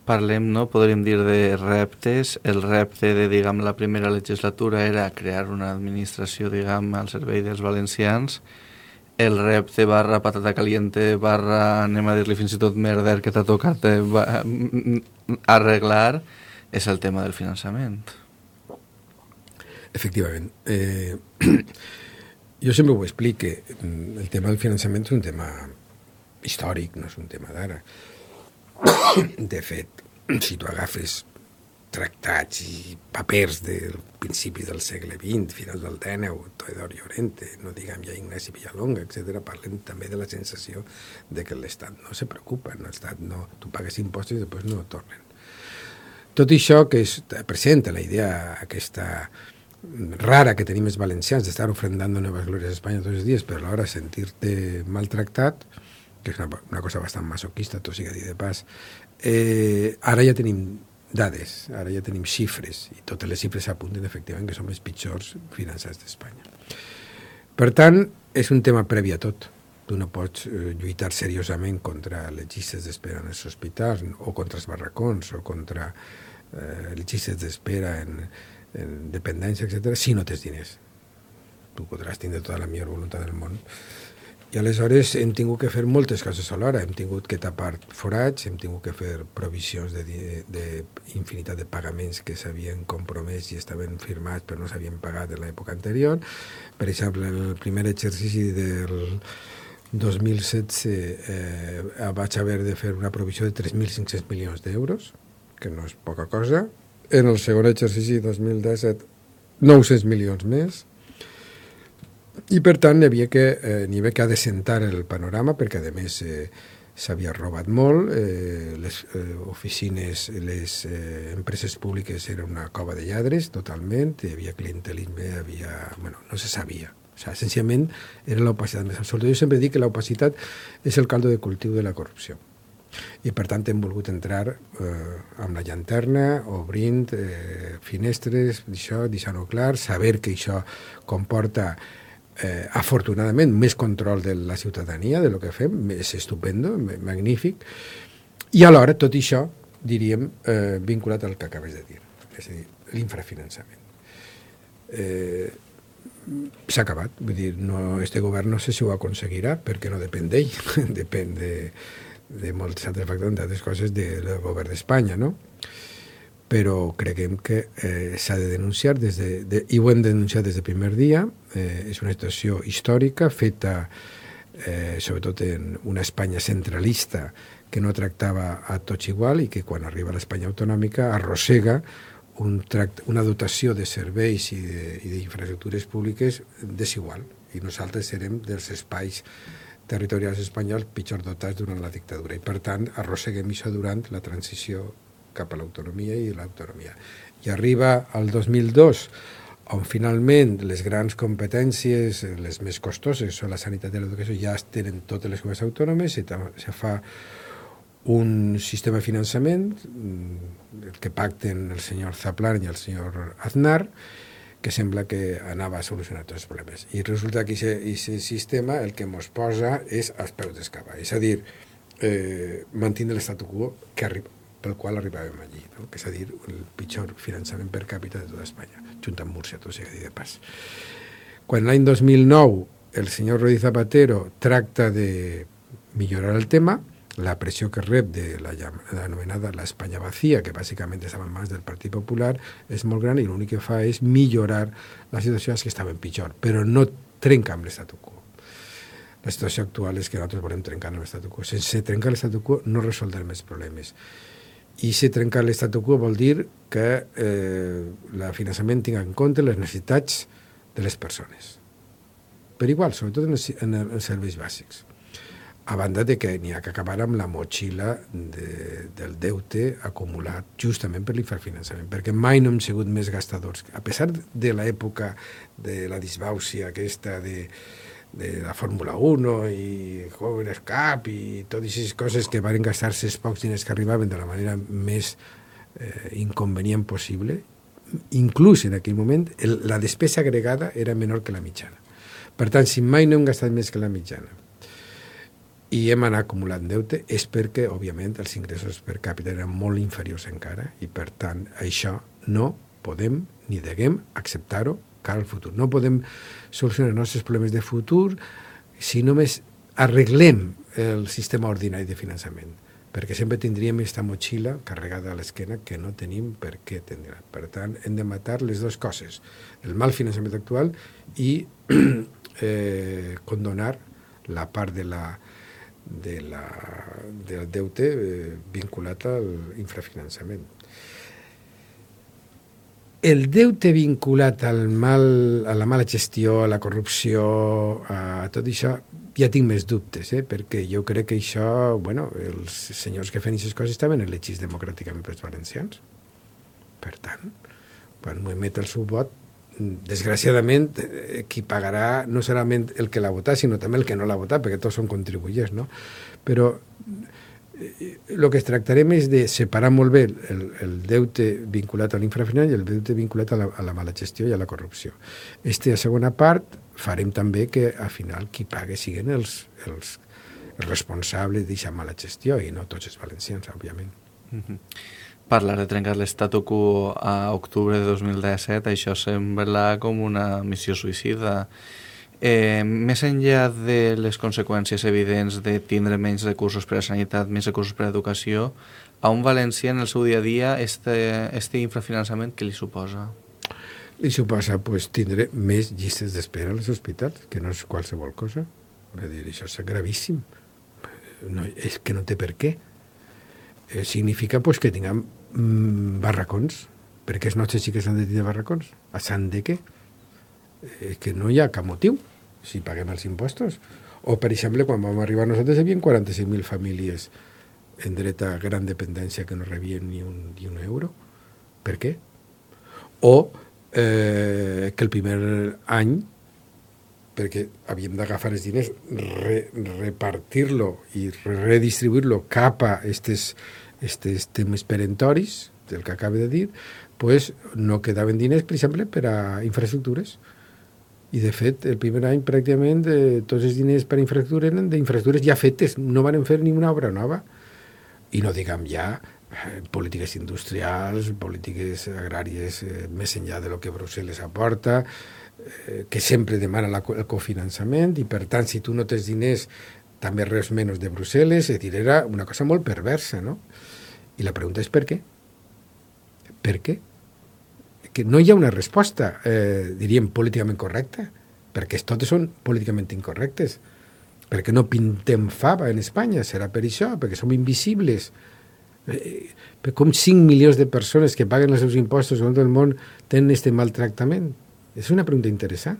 Parlem, no? Podríem dir de reptes. El repte de, diguem, la primera legislatura era crear una administració, diguem, al servei dels valencians. El repte / patata caliente / anem a dir-li fins i tot merder que t'ha tocat arreglar és el tema del finançament. Efectivament. Jo sempre ho explico. El tema del finançament és un tema històric, no és un tema d'ara. De fet, si tu agafes tractats i papers del principi del segle XX, finals del XIX, Teodor Llorente, no diguem ja Ignasi Villalonga, etc., parlen també de la sensació de que l'Estat no se preocupa, l'Estat no, tu pagues impostos i després no tornen. Tot això que presenta la idea aquesta rara que tenim els valencians d'estar ofrendant noves glòries a Espanya tots els dies, però alhora sentir-te maltractat, que és una cosa bastant masoquista, tot sigui a dir de pas, ara ja tenim dades, ara ja tenim xifres, i totes les xifres apunten efectivament que som els pitjors finançats d'Espanya. Per tant, és un tema previ a tot. Tu no pots lluitar seriosament contra les llistes d'espera en els hospitals, o contra els barracons, o contra les llistes d'espera en dependència, etc., si no tens diners. Tu podràs tindre tota la millor voluntat del món. I aleshores hem tingut que fer moltes coses alhora. Hem tingut que tapar forats, hem tingut que fer provisions d'infinitat de pagaments que s'havien compromès i estaven firmats però no s'havien pagat en l'època anterior. Per exemple, en el primer exercici del 2016 vaig haver de fer una provisió de 3.500 milions d'euros, que no és poca cosa. En el segon exercici 2017, 900 milions més. I per tant n'hi havia que adecentar el panorama, perquè a més s'havia robat molt, les oficines, les empreses públiques eren una cova de lladres totalment, hi havia clientelisme, no se sabia. O sigui, essencialment era l'opacitat més absoluta. Jo sempre dic que l'opacitat és el caldo de cultiu de la corrupció. I per tant hem volgut entrar amb la llanterna, obrint finestres, deixant-ho clar, saber que això comporta afortunadament més control de la ciutadania, de lo que fem, és estupendo, magnífic, i alhora tot això, diríem, vinculat al que acabes de dir, és a dir, l'infrafinançament. S'ha acabat, vull dir, este govern no sé si ho aconseguirà, perquè no depèn d'ell, depèn de moltes altres factors, d'altres coses del govern d'Espanya, no? Però creguem que s'ha de denunciar, i ho hem denunciat des del primer dia. És una situació històrica feta sobretot en una Espanya centralista que no tractava a tots igual i que quan arriba a l'Espanya autonòmica arrossega una dotació de serveis i d'infraestructures públiques desigual, i nosaltres serem dels espais territorials espanyols pitjor dotats durant la dictadura, i per tant arrosseguem això durant la transició cap a l'autonomia i l'autonomia. I arriba al 2002, on finalment les grans competències, les més costoses, són la sanitat i l'educació, ja tenen totes les comunitats autònomes, se fa un sistema de finançament que pacten el senyor Zaplan i el senyor Aznar, que sembla que anava a solucionar tots els problemes. I resulta que aquest sistema el que ens posa és als peus d'escava, és a dir, mantindre l'estatu quo pel qual arribàvem allí, no? Que és a dir, el pitjor finançament per càpita de tota Espanya, junt amb Múrcia, tot sigui de pas. Quan l'any 2009 el senyor Rodríguez Zapatero tracta de millorar el tema, la pressió que rep de l'anomenada l'Espanya vacía, que bàsicament estava en mans del Partit Popular, és molt gran, i l'únic que fa és millorar la situació que estaven pitjor, però no trenca amb l'estatu quo. La situació actual és que nosaltres volem trencar amb l'estatu quo. Sense trencar l'estatu quo no resoldrem els problemes. I si trencar l'estatu quo vol dir que el finançament tingui en compte les necessitats de les persones. Per igual, sobretot en els serveis bàsics. A banda de que n'hi ha que acabar amb la motxilla del deute acumulat justament per l'infrafinançament, perquè mai no hem sigut més gastadors. A pesar de l'època de la disbàusia aquesta de la Fórmula 1 i Jóvenes Cup i totes aquestes coses que van gastar-se els pocs diners que arribaven de la manera més inconvenient possible, inclús en aquell moment la despesa agregada era menor que la mitjana. Per tant, si mai no hem gastat més que la mitjana i hem anat acumulant deute, és perquè, òbviament, els ingressos per càpita eren molt inferiors encara, i per tant, això no podem ni deguem acceptar-ho cara al futur. No podem solucionar els nostres problemes de futur si només arreglem el sistema ordinari de finançament, perquè sempre tindríem aquesta motxilla carregada a l'esquena que no tenim per què tindre. Per tant, hem de matar les dues coses, el mal finançament actual i condonar la part del deute vinculat al infrafinançament. El deute vinculat a la mala gestió, a la corrupció, a tot això, ja tinc més dubtes, perquè jo crec que això, els senyors que fan aquestes coses estaven elegits democràticament pels valencians. Per tant, quan m'ho emet el seu vot, desgraciadament, qui pagarà no serà el que l'ha votat, sinó també el que no l'ha votat, perquè tots són contribuents, no? Però el que tractarem és de separar molt bé el deute vinculat a l'infrafinançament i el deute vinculat a la mala gestió i a la corrupció. Aquesta segona part farem també que, al final, qui pague siguin els responsables d'aquesta mala gestió i no tots els valencians, òbviament. Parlar de trencar l'estatu quo a octubre de 2017, això sembla com una missió suïcida. Més enllà de les conseqüències evidents de tindre menys recursos per a sanitat, menys recursos per a educació, a un valencià en el seu dia a dia este infrafinançament què li suposa? Li suposa tindre més llistes d'espera als hospitals, que no és qualsevol cosa. Va dir, això és gravíssim. No, és que no té per què. Significa pues, que tinguem barracons, perquè els nostres xiques han de tenir barracons. A sant de què? Que no hi ha cap motiu si paguem els impostos. O, per exemple, quan vam arribar nosaltres hi havia 45.000 famílies en dret a gran dependència que no rebien ni un euro. Per què? O que el primer any, perquè havíem d'agafar els diners, repartir-lo i redistribuir-lo cap a estes temes perentoris, del que acabo de dir, pues no quedaven diners, per exemple, per a infraestructures. I, de fet, el primer any, pràcticament, tots els diners per a infraestructures eren d'infraestructures ja fetes, no van fer ni una obra nova. I no diguem ja polítiques industrials, polítiques agràries més enllà de lo que Brussel·les aporta, que sempre demana el cofinançament, i per tant, si tu no tens diners, també res menys de Brussel·les, és a dir, era una cosa molt perversa, no? I la pregunta és per què? Per què? Que no hi ha una resposta, diríem, políticament correcta, perquè totes són políticament incorrectes, perquè no pintem fava en Espanya, serà per això, perquè som invisibles. Com 5 milions de persones que paguen els seus impostos en tot el món tenen aquest maltractament? És una pregunta interessant.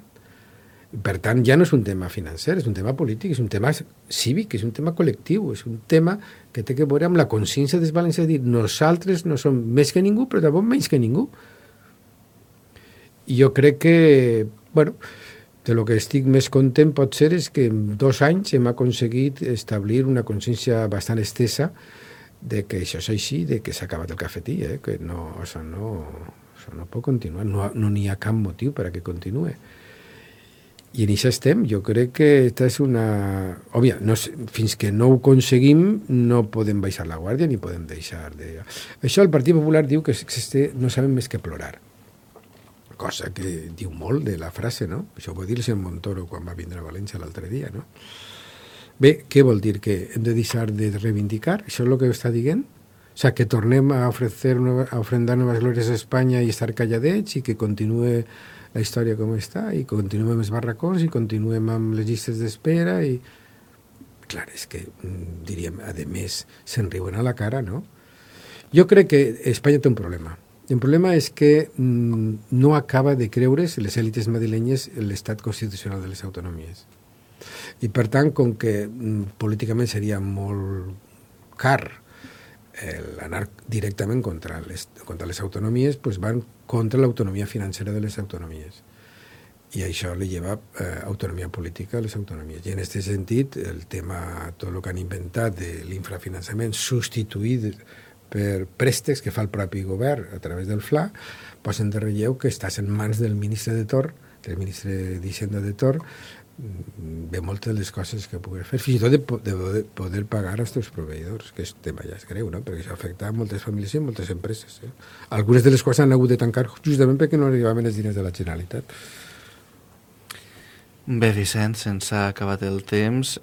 Per tant, ja no és un tema financer, és un tema polític, és un tema cívic, és un tema col·lectiu, és un tema que té que veure amb la consciència dels valencians, de dir, nosaltres no som més que ningú, però tampoc menys que ningú. I jo crec que, bueno, de lo que estic més content pot ser és que en 2 anys hem aconseguit establir una consciència bastant estesa de que això és així, de que s'ha acabat el cafetí, que no, això no pot continuar, no n'hi ha cap motiu per a que continuï. I en això estem. Jo crec que aquesta és una... Òbvia, fins que no ho aconseguim no podem baixar la guàrdia ni podem deixar de... Això el Partit Popular diu que no sabem més que plorar. Cosa que diu molt de la frase, no? Això ho va dir el senyor Montoro quan va vindre a València l'altre dia, no? Bé, què vol dir? Que hem de deixar de reivindicar? Això és el que està dient? O sigui, que tornem a ofrendar noves glòries a Espanya i estar calladets i que continuï la història com està i continuem amb els barracons i continuem amb les llistes d'espera i... Clar, és que, diríem, a més, se'n riuen a la cara, no? Jo crec que Espanya té un problema. El problema és que no acaba de creure's les èlites madrilenyes l'estat constitucional de les autonomies. I, per tant, com que políticament seria molt car anar directament contra les autonomies, doncs van contra l'autonomia financera de les autonomies. I això li lleva autonomia política a les autonomies. I en aquest sentit, el tema, tot el que han inventat de l'infrafinançament substituït per préstecs que fa el propi govern a través del FLA, posen de relleu que estàs en mans del ministre de Torn, del ministre d'Hisenda de Torn, de moltes de les coses que pugui fer, fins i tot de poder pagar als teus proveïdors, que és tema ja és greu, no? Perquè això afecta a moltes famílies i moltes empreses. Algunes de les coses han hagut de tancar justament perquè no arribaven els diners de la Generalitat. Bé, Vicent, sense ha acabat el temps,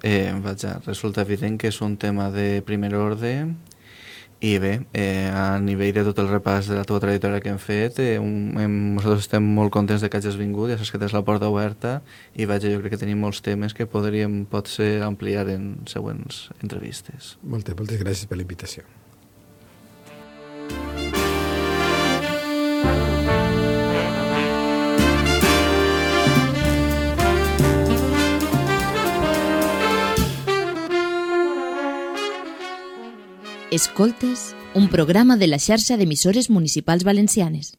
resulta evident que és un tema de primer ordre. I bé, a nivell de tot el repàs de la teva trajectòria que hem fet, nosaltres estem molt contents de que hagis vingut, ja saps que tens la porta oberta i jo crec que tenim molts temes que podríem potser ampliar en següents entrevistes. Moltes gràcies per la invitació. Escoltes, un programa de la xarxa d'emissores municipals valencianes.